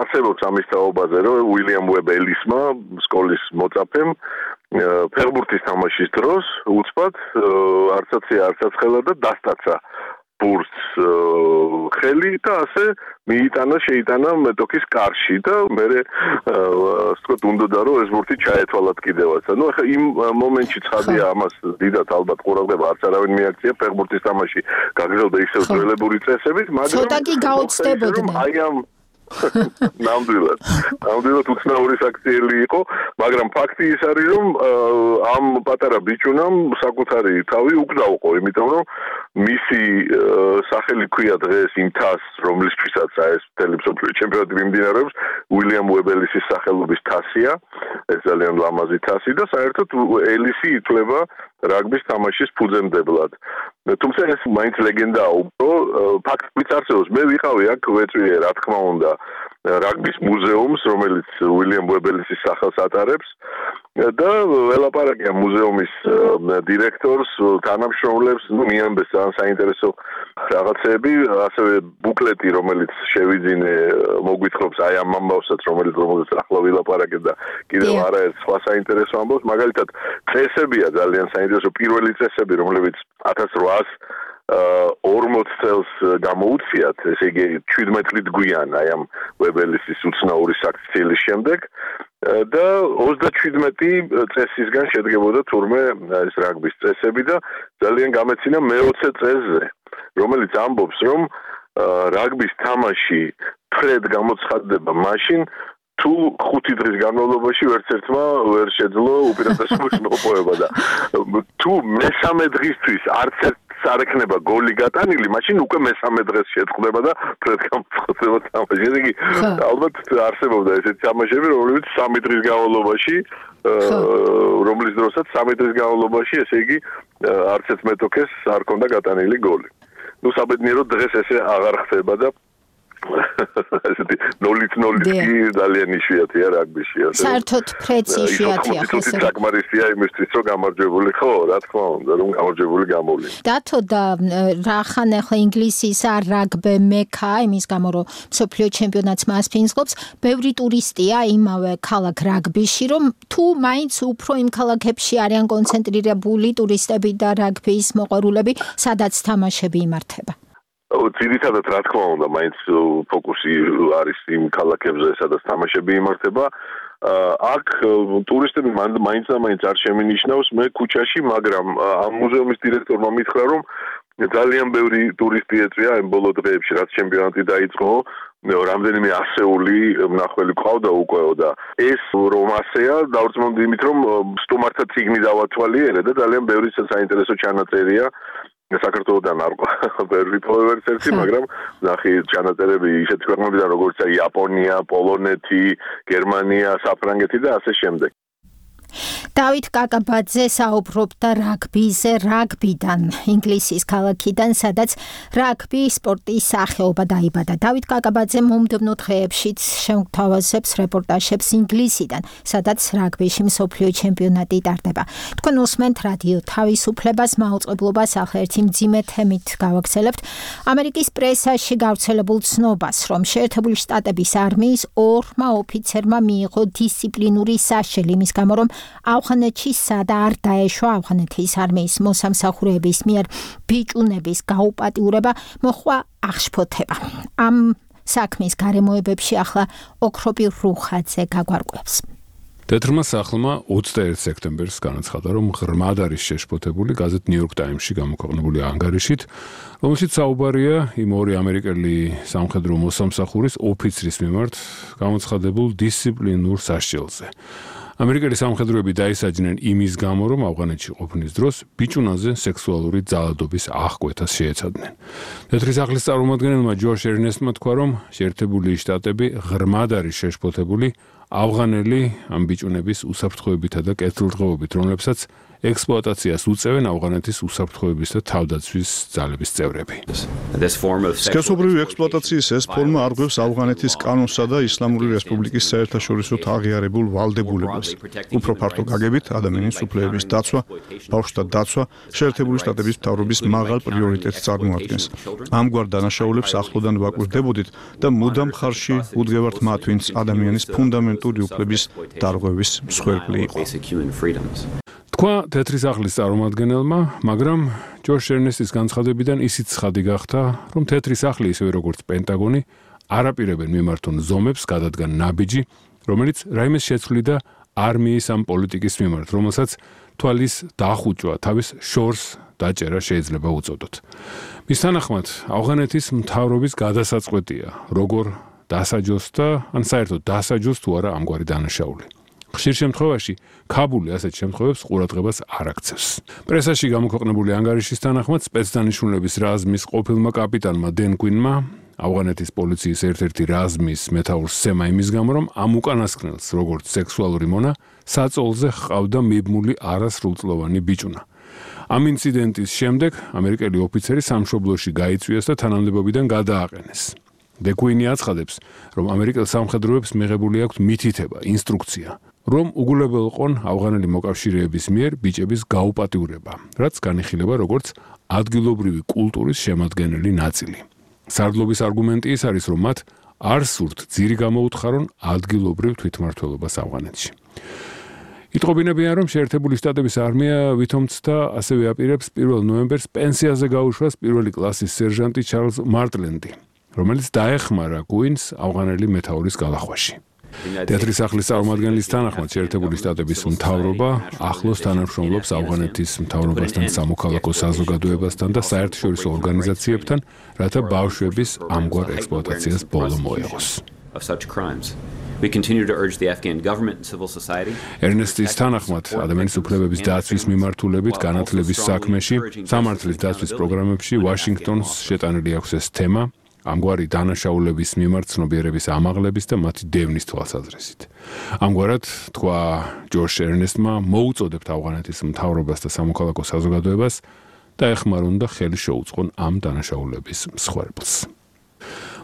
არსებობს ამის თაობაზე, რომ უილიამ ვებ ელისმა, სკოლის მოწაფემ, ფეხბურთის თამაშის დროს უცბად არცაც ხელა და დასტაცა ბურთს ხელი და ასე შეიტანა მეტოქის კარში და მე ვთქვათ უნდოდა რომ ეს ბურთი ჩაეთვალათ კიდევაც. ახლა იმ მომენტში ცხადია ამას დიდად ალბათ ყურადღება არც არავინ მიაქცია, ფეხბურთის თამაში გაგრძელდა ისევ ძველებური წესებით, მაგრამ ცოტა კი გაოცდებოდნენ. ნამდვილად უცნაური საქციელი იყო, მაგრამ ფაქტი ის არის, რომ ამ პატარა ბიჭუნამ საკუთარი თავი უკდაუყო, იმიტომ რომ მისი სახელი ქვია დღეს იმ თასს, რომლისთვისაც ეს მსოფლიო ჩემპიონატი მიმდინარეობს, უილიამ უებელისის სახელობის თასია, ეს ძალიან ლამაზი თასი და საერთოდ ელისი ითვლება რაგბის თამაშის ფუძემდებლად. თუმცა ეს მაინც ლეგენდაა, ფაქტიც არსებობს. მე ვიყავი აქ ვეწვიე, რა თქმა უნდა, რაგბის მუზეუმს, რომელიც უილიამ უებელისის სახელს ატარებს და ველაპარაკე ამ მუზეუმის დირექტორს, თანამშრომლებს, მიამბეს ძალიან საინტერესო რაღაცები, ასევე ბუკლეტი, რომელიც შევიძინე, მოგვითხრობს აი ამ ამბავსაც, რომელიც ახლა ვილაპარაკე და კიდევ არაერთ სხვა საინტერესო ამბავს, მაგალითად წესებია ძალიან საინტერესო, პირველი წესები, რომლებიც 1840 წელს გამოუციათ, ესე იგი 17 წლით გვიან აი ამ უებელისის უცნაური საქციელის შემდეგ და 37 წესისგან შედგებოდა თურმე ეს რაგბის წესები და ძალიან გამეცინა მე-20 წესზე, რომელიც ამბობს, რომ რაგბის თამაში ფრედ გამოცხადდება მაშინ, თუ 5 დღის განმავლობაში ვერცერთმა ვერ შეძლო უპირატესობის მოპოვება და თუ მესამე დღისთვის არც ერთს არ ექნება გოლი გატანილი, მაშინ უკვე მესამე დღეს შეწყდება და ფრედ გამოცხადდება თამაში. ესე იგი, ალბათ არსებობდა ესეთი თამაშები, რომლებიც 3 დღის განმავლობაში, რომლის დროსაც 3 დღის განმავლობაში, ესე იგი, არც ერთ მეტოქეს არ ქონდა გატანილი გოლი. ნუ საბედნიეროდ დღეს ესე აღარ ხდება და ესეთი 0-0 ძალიან იშვიათია რაგბიში. საერთოდ ფრედს იშვიათია ხო? საკმარისია იმისთვის, რომ გამარჯვებული ხო, რა თქმა უნდა, რომ გამარჯვებული გამოვლინო. დათო და რახან ახლა ინგლისის რაგბი მექა, იმის გამო რომ მსოფლიო ჩემპიონატს მას ფინსლობს, ბევრი ტურისტია იმავე ქალაქ რაგბიში, რომ თუ მაინც უფრო იმ ქალაქებში არიან კონცენტრირებული ტურისტები და რაგბის მოყვარულები, სადაც თამაშები იმართება. ძირითადად რა თქმა უნდა, მაინც ფოკუსი არის იმ ქალაქებზე, სადაც თამაშები იმართება. აქ ტურისტები მაინც და მაინც არ შემინიშნავს, მე ქუჩაში, მაგრამ ამ მუზეუმის დირექტორმა მითხრა, რომ ძალიან ბევრი ტურისტი ეწვია ამ ბოლო დღეებში, რაც ჩემპიონატი დაიწყო, რამდენიმე ასეული მნახველი ყავდა უკვე და ეს რომ ასეა, დავრწმუნდი იმით, რომ სტუმართა წიგნი დავათვალიერე და ძალიან ბევრი საინტერესო ჩანაწერია. საქართველოდან არ ბევრი ვერც ერთი, მაგრამ ნახე ჩანაწერები ისეთ ქვეყნებიდან, როგორიცაა იაპონია, პოლონეთი, გერმანია, საფრანგეთი და ასე შემდეგ. დავით კაკაბაძე საუბრობდა რაგბიზე, რაგბიდან, ინგლისის ქალაქიდან, სადაც რაგბი სპორტის სახეობა დაიბადა. დავით კაკაბაძე მომდევნო დღეებშიც შეგვთავაზებს რეპორტაჟებს ინგლისიდან, სადაც რაგბიში მსოფლიო ჩემპიონატი ტარდება. თქვენ უსმენთ რადიო თავისუფლებას, მაუწყებლობას, ახლა ერთი მძიმე თემით გავაგრძელებთ. ამერიკის პრესაში გავრცელებულ ცნობას, რომ შეერთებული შტატების არმიის 2 ოფიცერმა მიიღო დისციპლინური საშელი იმის გამო, რომ ავღანეთში სადა არ დაეშვა ავღანეთის არმიის მოსამსახურეების მიერ ბიჭუნების გაუპატიურება მოხვა აღშფოთება. ამ საქმის გარემოებებში ახლა ოქროპირ რუხაძე გაგვარკვევს. თეთრმა სახლმა 21 სექტემბერს განაცხადა, რომ ღრმად არის შეშფოთებული გაზეთ New York Times-ში გამოქვეყნებული ანგარიშით, რომელშიც საუბარია იმ 2 ამერიკელი სამხედრო მოსამსახურის ოფიცრის მიმართ გამოცხადებულ დისციპლინურ საშჯელზე. ამერიკელი სამხედროები დაისაჯნენ იმის გამო, რომ ავღანეთში ყოფნის დროს ბიჭუნაზე სექსუალური ძალადობის აღკვეთას შეეცადნენ. თეთრი სახლის წარმომადგენელმა ჯოშ ერნესტმა თქვა, რომ შეერთებული შტატები ღრმად არის შეშფოთებული ავღანელი ამ ბიჭუნების უსაფრთხოებითა და კეთილდღეობით, რომლებსაც ექსპლუატაციას უწევენ ავღანეთის უსაფრთხოების და თავდაცვის ძალების წევრები. სქესობრივი ექსპლუატაციის ეს ფორმა არღვევს ავღანეთის კანონსა და ისლამური რესპუბლიკის საერთაშორისო აღიარებულ ვალდებულებას. უფრო ფართო გაგებით ადამიანის უფლებების დაცვა, ბავშვთა დაცვა შეერთებული შტატების მთავრობის მაღალ პრიორიტეტს წარმოადგენს. ამგვარ დანაშაულებს ახლოდან ვაკვირდებოდით და მუდამ ხარში უდგევართ მათ, ვინც ადამიანის ფუნდამენტური უფლების დარღვევის მსხვერპლი იყო. თქვა თეთრი სახლის წარმომადგენელმა, მაგრამ ჯოშ ერნესტის განცხადებიდან ისიც ცხადი გახდა, რომ თეთრი სახლი ისევე როგორც პენტაგონი არაპირებენ მიმართონ ზომებს, გადადგან ნაბიჯი, რომელიც რაიმეს შეცვლიდა არმიის ამ პოლიტიკის მიმართ, რომელსაც თვალის დახუჭვა, თავის შორს დაჭერა შეიძლება უწოდოთ. მის თანახმად, ავღანეთის მთავრობის გადასაწყვეტია, როგორ დასაჯოს და ან საერთოდ დასაჯოს თუ არა ამგვარი დანაშაული. ხშირ შემთხვევაში ქაბული ასეთ შემთხვევებს ყურადღებას არ აქცევს. პრესაში გამოქვეყნებული ანგარიშის თანახმად სპეცდანიშნულების რაზმის ყოფილმა კაპიტანმა დენ კვინმა ავღანეთის პოლიციის ერთ-ერთი რაზმის მეთაურს სცემა იმის გამო, რომ ამ უკანასკნელს, როგორც სექსუალური მონა, საწოლზე ჰყავდა მიბმული არასრულწლოვანი ბიჭუნა. ამ ინციდენტის შემდეგ ამერიკელი ოფიცერი სამშობლოში გაიწვიეს და თანამდებობიდან გადააყენეს. დეკვინი აცხადებს, რომ ამერიკელ სამხედროებს მიღებული აქვთ მითითება, ინსტრუქცია, რომ უგულებელყონ ავღანელი მოკავშირეების მიერ ბიჭების გაუპატიურება, რაც განიხილება როგორც ადგილობრივი კულტურის შემადგენელი ნაწილი. სარდლობის არგუმენტი ის არის, რომ მათ არ სურთ ძირი გამოუთხარონ ადგილობრივ თვითმმართველობას ავღანეთში. იტყობინებიან, რომ შეერთებული შტატების არმია ვითომცდა ასევე აპირებს 1 ნოემბერს პენსიაზე გაუშვას პირველი კლასის სერჟანტი ჩარლზ მარტლენდი, რომელიც დაეხმარა კვინს ავღანელი მეთაურის გალახვაში. თეატრის სახლის წარმომადგენლის თანახმად შეერთებული შტატების მთავრობა ახლოს თანამშრომლობს ავღანეთის მთავრობასთან, სამოქალაქო საზოგადოებასთან და საერთაშორისო ორგანიზაციებთან, რათა ბავშვების ამგვარ ექსპლუატაციას ბოლო მოეღოს. We continue to urge the Afghan government and civil society. ერნესტის თანახმად, ადამიანის უფლებების დაცვის მიმართულებით განათლების საქმეში, სამართლის დაცვის პროგრამებში ვაშინგტონს შეტანილი აქვს ეს თემა, ამგვარი დანაშაულების მიმართ ცნობიერების ამაღლების და მათი დევნის თვალსაზრისით. ამგვარად, თქვა ჯორჯ ერნესტმა, მოუწოდებთ ავღანეთის მთავრობას და სამოქალაქო საზოგადოებას და ეხმარონ და ხელი შეუწყონ ამ დანაშაულების მსხვერპლს.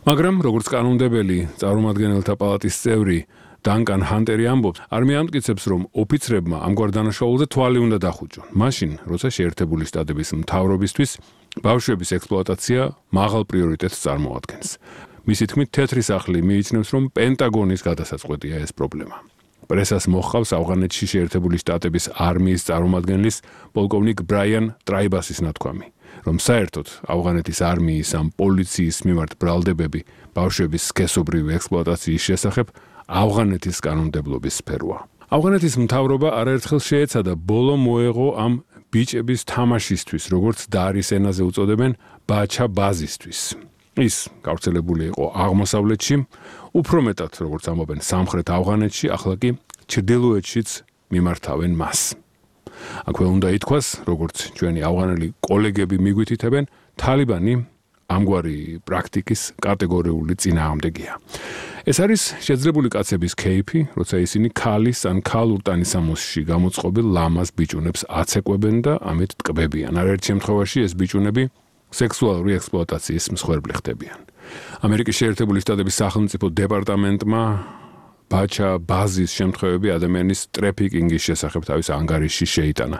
მაგრამ, როგორც კანონმდებელი წარმომადგენელთა პალატის წევრი დანკან ჰანტერი ამბობს, არმია ამტკიცებს, რომ ოფიცრებმა ამგვარ დანაშაულზე თვალი უნდა დახუჭონ. მაშინ, როცა შეერთებული შტატების მთავრობისთვის ბავშვების ექსპლუატაცია მაღალ პრიორიტეტს წარმოადგენს. მისი თქმით, თეთრი სახლი მიიჩნევს, რომ პენტაგონის გადასაწყვეტია ეს პრობლემა. პრესას მოჰყავს ავღანეთში შეერთებული შტატების არმიის წარმომადგენლის პოლკოვნიკ ბრაიან ტრაიბასის ნათქვამი, რომ საერთოდ ავღანეთის არმიის ამ პოლიციის მიმართ ბრალდებები ბავშვების სქესობრივი ექსპლუატაციის შესახებ ავღანეთის კანონმდებლობის სფეროა. ავღანეთის მთავრობა არაერთხელ შეეცადა ბოლო მოეღო ამ ბიჭების თამაშისთვის, როგორც დარის ენაზე უწოდებენ, ბაჩა ბაზისთვის. ის გავრცელებული იყო აღმოსავლეთში, უფრო მეტად, როგორც ამბობენ, სამხრეთ ავღანეთში, ახლა კი ჩრდილოეთშიც მიმართავენ მას. აქვე უნდა ითქვას, როგორც ჩვენი ავღანელი კოლეგები მიგვითითებენ, თალიბანი ამგვარი პრაქტიკის კატეგორიული წინააღმდეგია. ეს არის შეძლებული კაცების кейფი, როცა ისინი ქალის ან ქალურ ტანისამოსში გამოწყობილ ლამაზ ბიჭუნებს აცეკვებენ და ამით ტკბებიან. არაერთ შემთხვევაში ეს ბიჭუნები სექსუალური ექსპლუატაციის მსხვერპლი ხდებიან. ამერიკის შეერთებული შტატების სახელმწიფო დეპარტამენტმა ბაჩა ბაზის შემთხვევები ადამიანის ტრეფიკინგის შესახებ თავის ანგარიშში შეიტანა.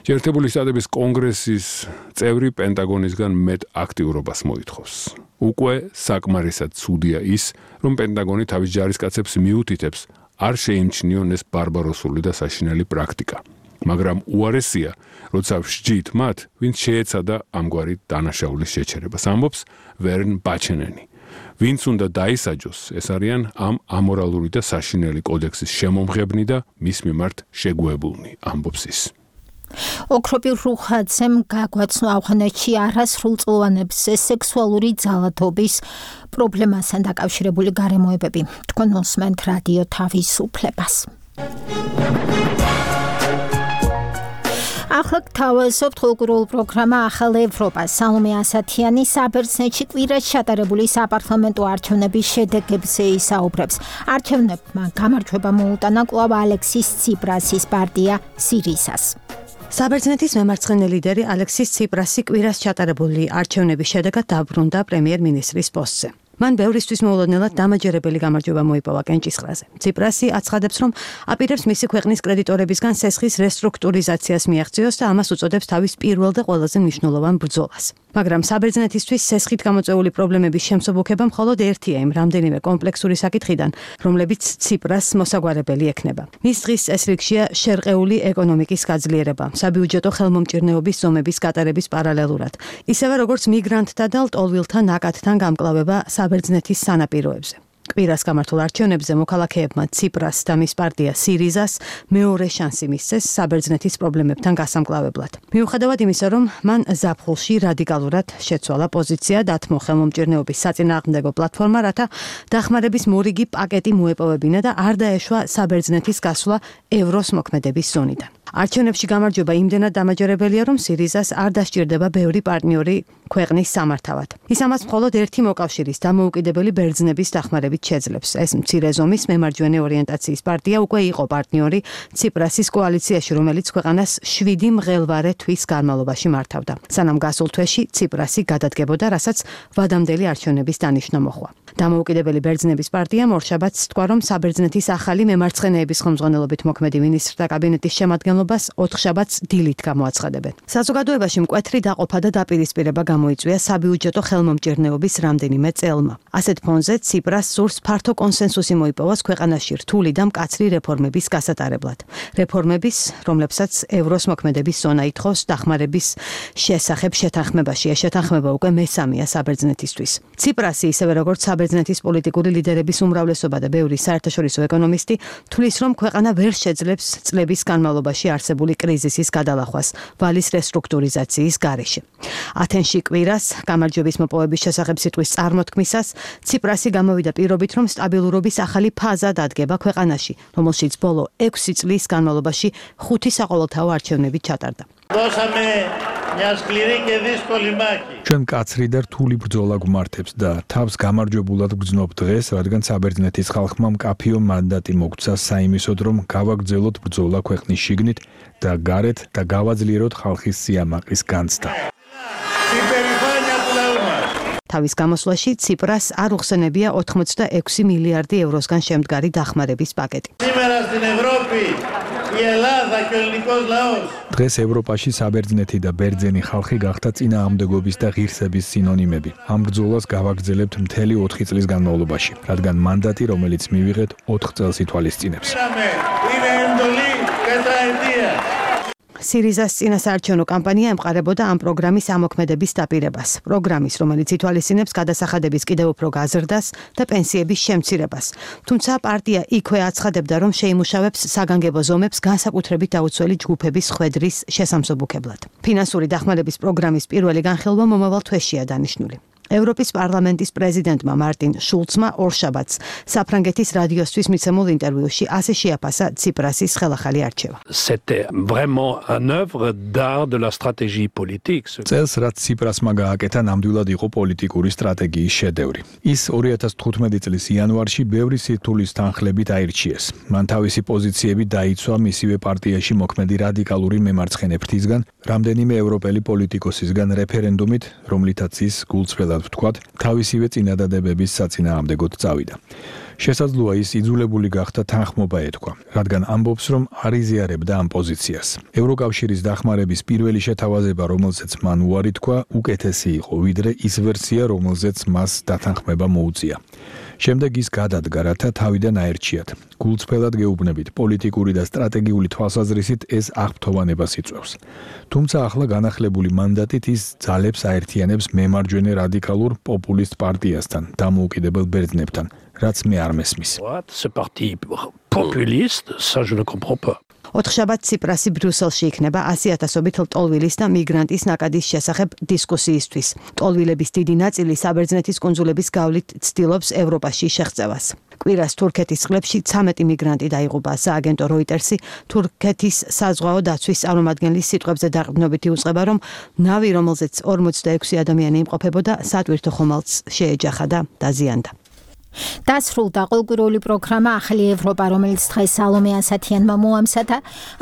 შეერთებული შტატების კონგრესის წევრი პენტაგონისგან მეტ აქტიურობას მოითხოვს. უკვე საკმარისად ცუდია ის, რომ პენტაგონი თავის ჯარისკაცებს მიუთითებს არ შეიმჩნიონ ეს ბარბაროსული და საშინელი პრაქტიკა. მაგრამ უარესია, როცა ვსჯით მათ, ვინც შეეცადა ამგვარი დანაშაულის შეჩერებას, ამბობს ვერნ ბაჩენენი. ვინც უნდა დაისაჯოს, ეს არიან ამ ამორალური და საშინელი კოდექსის შემომღებნი და მის მიმართ შეგუებულნი, ამბობს ის. ოქროპირ რუხაძემ გაგვაცნო ავღანეთში არასრულწლოვანებს სექსუალური ძალადობის პრობლემასთან დაკავშირებული გარემოებები. თქვენ უსმენთ რადიო თავისუფლებას. ახლა გთავაზობთ კულტურულ პროგრამა ახალ ევროპა. სალომე ასათიანი საბერძნეთში კვირას ჩატარებული საპარლამენტო არჩევნების შედეგებზე ისაუბრებს. არჩევნებმა გამარჯვება მოუტანა კვლავ ალექსის ციპრასის პარტია სირისას. საბერძნეთის მემარცხენე ლიდერი ალექსის ციპრასი კვირას ჩატარებული არჩევნების შედეგად დაბრუნდა პრემიერ-მინისტრის პოსტზე. მან ბევრისთვის მოულოდნელად დამაჯერებელი გამარჯვება მოიპოვა კენჭისყრაზე. ციპრასი აცხადებს, რომ აპირებს მისი ქვეყნის კრედიტორებისგან სესხის რესტრუქტურიზაციას მიაღწიოს და ამას უწოდებს თავის პირველ და ყველაზე მნიშვნელოვან ბრძოლას. მაგრამ საბერძნეთისთვის სესხით გამოწვეული პრობლემების შემსუბუქება მხოლოდ ერთია იმ რამდენიმე კომპლექსური საკითხიდან, რომლებიც ციპრას მოსაგვარებელი ექნება. მის დღის წესრიგშია შერყეული ეკონომიკის გაძლიერება, საბიუჯეტო ხელმომჭირნეობის ზომების გატარების პარალელურად, ისევე როგორც მიგრანტთა და ლტოლვილთა ნაკადთან გამკლავება საბერძნეთის სანაპიროებზე. კვირას გამართულ არჩევნებზე მოქალაქეებმა ციპრას და მის პარტია სირიზას მეორე შანსი მისცეს საბერძნეთის პრობლემებთან გასამკლავებლად. მიუხედავად იმისა, რომ მან ზაფხულში რადიკალურად შეცვალა პოზიცია დათმო ხელმომჭირნეობის საწინააღმდეგო პლატფორმა, რათა დახმარების მორიგი პაკეტი მოეპოვებინა და არ დაეშვა საბერძნეთის გასვლა ევროს მოქმედების ზონიდან. არჩევნებში გამარჯვება იმდენად დამაჯერებელია, რომ სირიზას არ დასჭირდება ბევრი პარტნიორი ქვეყნის სამართავად. ის ამას მხოლოდ ერთი მოკავშირის დამოუკიდებელი ბერძნების დახმარებით შეძლებს. ეს მცირე ზომის მემარჯვენე ორიენტაციის პარტია უკვე იყო პარტნიორი ციპრასის კოალიციაში, რომელიც ქვეყანას 7 მღელვარე თვის განმავლობაში მართავდა. სანამ გასულ თვეში ციპრასი გადადგებოდა, რასაც ვადამდელი არჩევნების დანიშვნა მოჰყვა. დამოუკიდებელი ბერძნების პარტიამ ორშაბათს თქვა, რომ საბერძნეთის ახალი მემარცხენეების ხელმძღვანელობით მოქმედი მინისტრთა კაბინეტის შემადგენლობას ოთხშაბათს დილით გამოაცხადებენ. საზოგადოებაში მკვეთრი დაყოფა და დაპირისპირება გამოიწვია საბიუჯეტო ხელმომჭირნეობის რამდენიმე წელმა. ასეთ ფონზე ციპრას სურს ფართო კონსენსუსი მოიპოვოს ქვეყანაში რთული და მკაცრი რეფორმების გასატარებლად. რეფორმების, რომლებსაც ევროს მოქმედების ზონა ითხოვს დახმარების შესახებ შეთანხმებაში. ეს შეთანხმება უკვე მესამეა საბერძნეთისთვის. ციპრასი, ისევე როგორც საბერძნეთის პოლიტიკური ლიდერების უმრავლესობა და ბევრი საერთაშორისო ეკონომისტი თვლის, რომ ქვეყანა ვერ შეძლებს წლების განმავლობაში არსებული კრიზისის გადალახვას ვალის რესტრუქტურიზაციის გარეშე. ათენში კვირას გამარჯვების მოპოვების შესახებ სიტყვის წარმოთქმისას ციპრასი გამოვიდა პირობით, რომ სტაბილურობის ახალი ფაზა დადგება ქვეყანაში, რომელშიც ბოლო 6 წლის განმავლობაში 5 საყოველთაო არჩევნები ჩატარდა. ჩვენ მკაცრი და რთული ბრძოლა გვმართებს და თავს გამარჯვებულად გვგრძნობ დღეს, რადგან საბერძნეთის ხალხმა მკაფიო მანდატი მოგცა საიმისოდ, რომ გავაგრძელოთ ბრძოლა ქვეყნის შიგნით და გარეთ და გავაძლიეროთ ხალხის სიამაყის განცდა. თავის გამოსვლაში ციპრას არ უხსენებია 86 მილიარდი ევროსგან შემდგარი დახმარების პაკეტი. დღეს ევროპაში საბერძნეთი და ბერძენი ხალხი გახდა წინააღმდეგობის და ღირსების სინონიმები. ამ ბრძოლას გავაგრძელებთ მთელი 4 წლის განმავლობაში, რადგან მანდატი, რომელიც მივიღეთ 4 წელს ითვალისწინებს. სირიზას წინასაარჩევნო კამპანია ემყარებოდა ამ პროგრამის ამოქმედების დაპირებას. პროგრამის, რომელიც ითვალისწინებს გადასახადების კიდევ უფრო გაზრდას და პენსიების შემცირებას. თუმცა პარტია იქვე აცხადებდა, რომ შეიმუშავებს საგანგებო ზომებს განსაკუთრებით დაუცველი ჯგუფების ხვედრის შესამსუბუქებლად. ფინანსური დახმარების პროგრამის პირველი განხილვა მომავალ თვეშია დანიშნული. ევროპის პარლამენტის პრეზიდენტმა მარტინ შულცმა ორშაბათს საფრანგეთის რადიოსთვის მიცემულ ინტერვიუში ასე შეაფასა ციპრასის ხელახალი არჩევა. წელს, რაც ციპრასმა გააკეთა, ნამდვილად იყო პოლიტიკური სტრატეგიის შედევრი. ის 2015 წლის იანვარში ბევრი სირთულის თანხლებით აირჩიეს. მან თავისი პოზიციები დაიცვა მისივე პარტიაში მოქმედი რადიკალური მემარცხენე ფრთისგან, რამდენიმე ევროპელი პოლიტიკოსისგან რეფერენდუმით, რომლითაც ის გულწრფელად ვთქვათ, თავისივე წინადადებების საწინააღმდეგოდ წავიდა. შესაძლოა ის იძულებული გახდა თანხმობა ეთქვა, რადგან ამბობს, რომ არ იზიარებდა ამ პოზიციას. ევროკავშირის დახმარების პირველი შეთავაზება, რომელზეც მან უარი თქვა, უკეთესი იყო, ვიდრე ის ვერსია, რომელზეც მას დათანხმება მოუწია. შემდეგ ის გადადგა, რათა თავიდან აერჩიათ. გულწრფელად გეუბნებით, პოლიტიკური და სტრატეგიული თვალსაზრისით ეს აღფრთოვანებას იწვევს. თუმცა ახლა განახლებული მანდატით ის ძალებს აერთიანებს მემარჯვენე რადიკალურ პოპულისტ პარტიასთან, დამოუკიდებელ ბერძნებთან, რაც მე არ მესმის. ოთხშაბათ ციპრასი ბრიუსელში იქნება 100,000-ობით ლტოლვილის და მიგრანტის ნაკადის შესახებ დისკუსიისთვის. ლტოლვილების დიდი ნაწილი საბერძნეთის კუნძულების გავლით ცდილობს ევროპაში შეღწევას. კვირას თურქეთის წყლებში 13 მიგრანტი დაიღუპა. სააგენტო როიტერსი თურქეთის საზღვაო დაცვის წარმომადგენლის სიტყვებზე დაყრდნობით იუწყება, რომ ნავი, რომელზეც 46 ადამიანი იმყოფებოდა, სატვირთო ხომალდს შეეჯახა და დაზიანდა. დასრულდა ყოველკვირეული პროგრამა ახალი ევროპა, რომელიც დღეს სალომე ასათიანმა მოამზადა.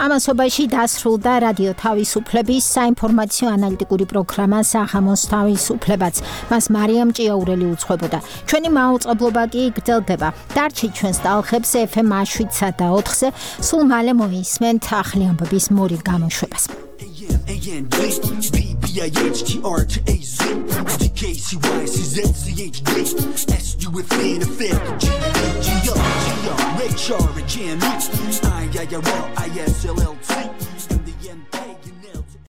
ამასობაში დასრულდა რადიო თავისუფლების საინფორმაციო ანალიტიკური პროგრამა საღამოს თავისუფლებაც. მას მარიამ ჭიაურელი უძღვებოდა. ჩვენი მაუწყებლობა კი გრძელდება. დარჩით ჩვენს ტალღებს FM 7-სა და 4-ზე. სულ მალე მოისმენთ ახალი ამბების მორიგ გამოშვებას. Ray Charlie, Jam, ISLLT.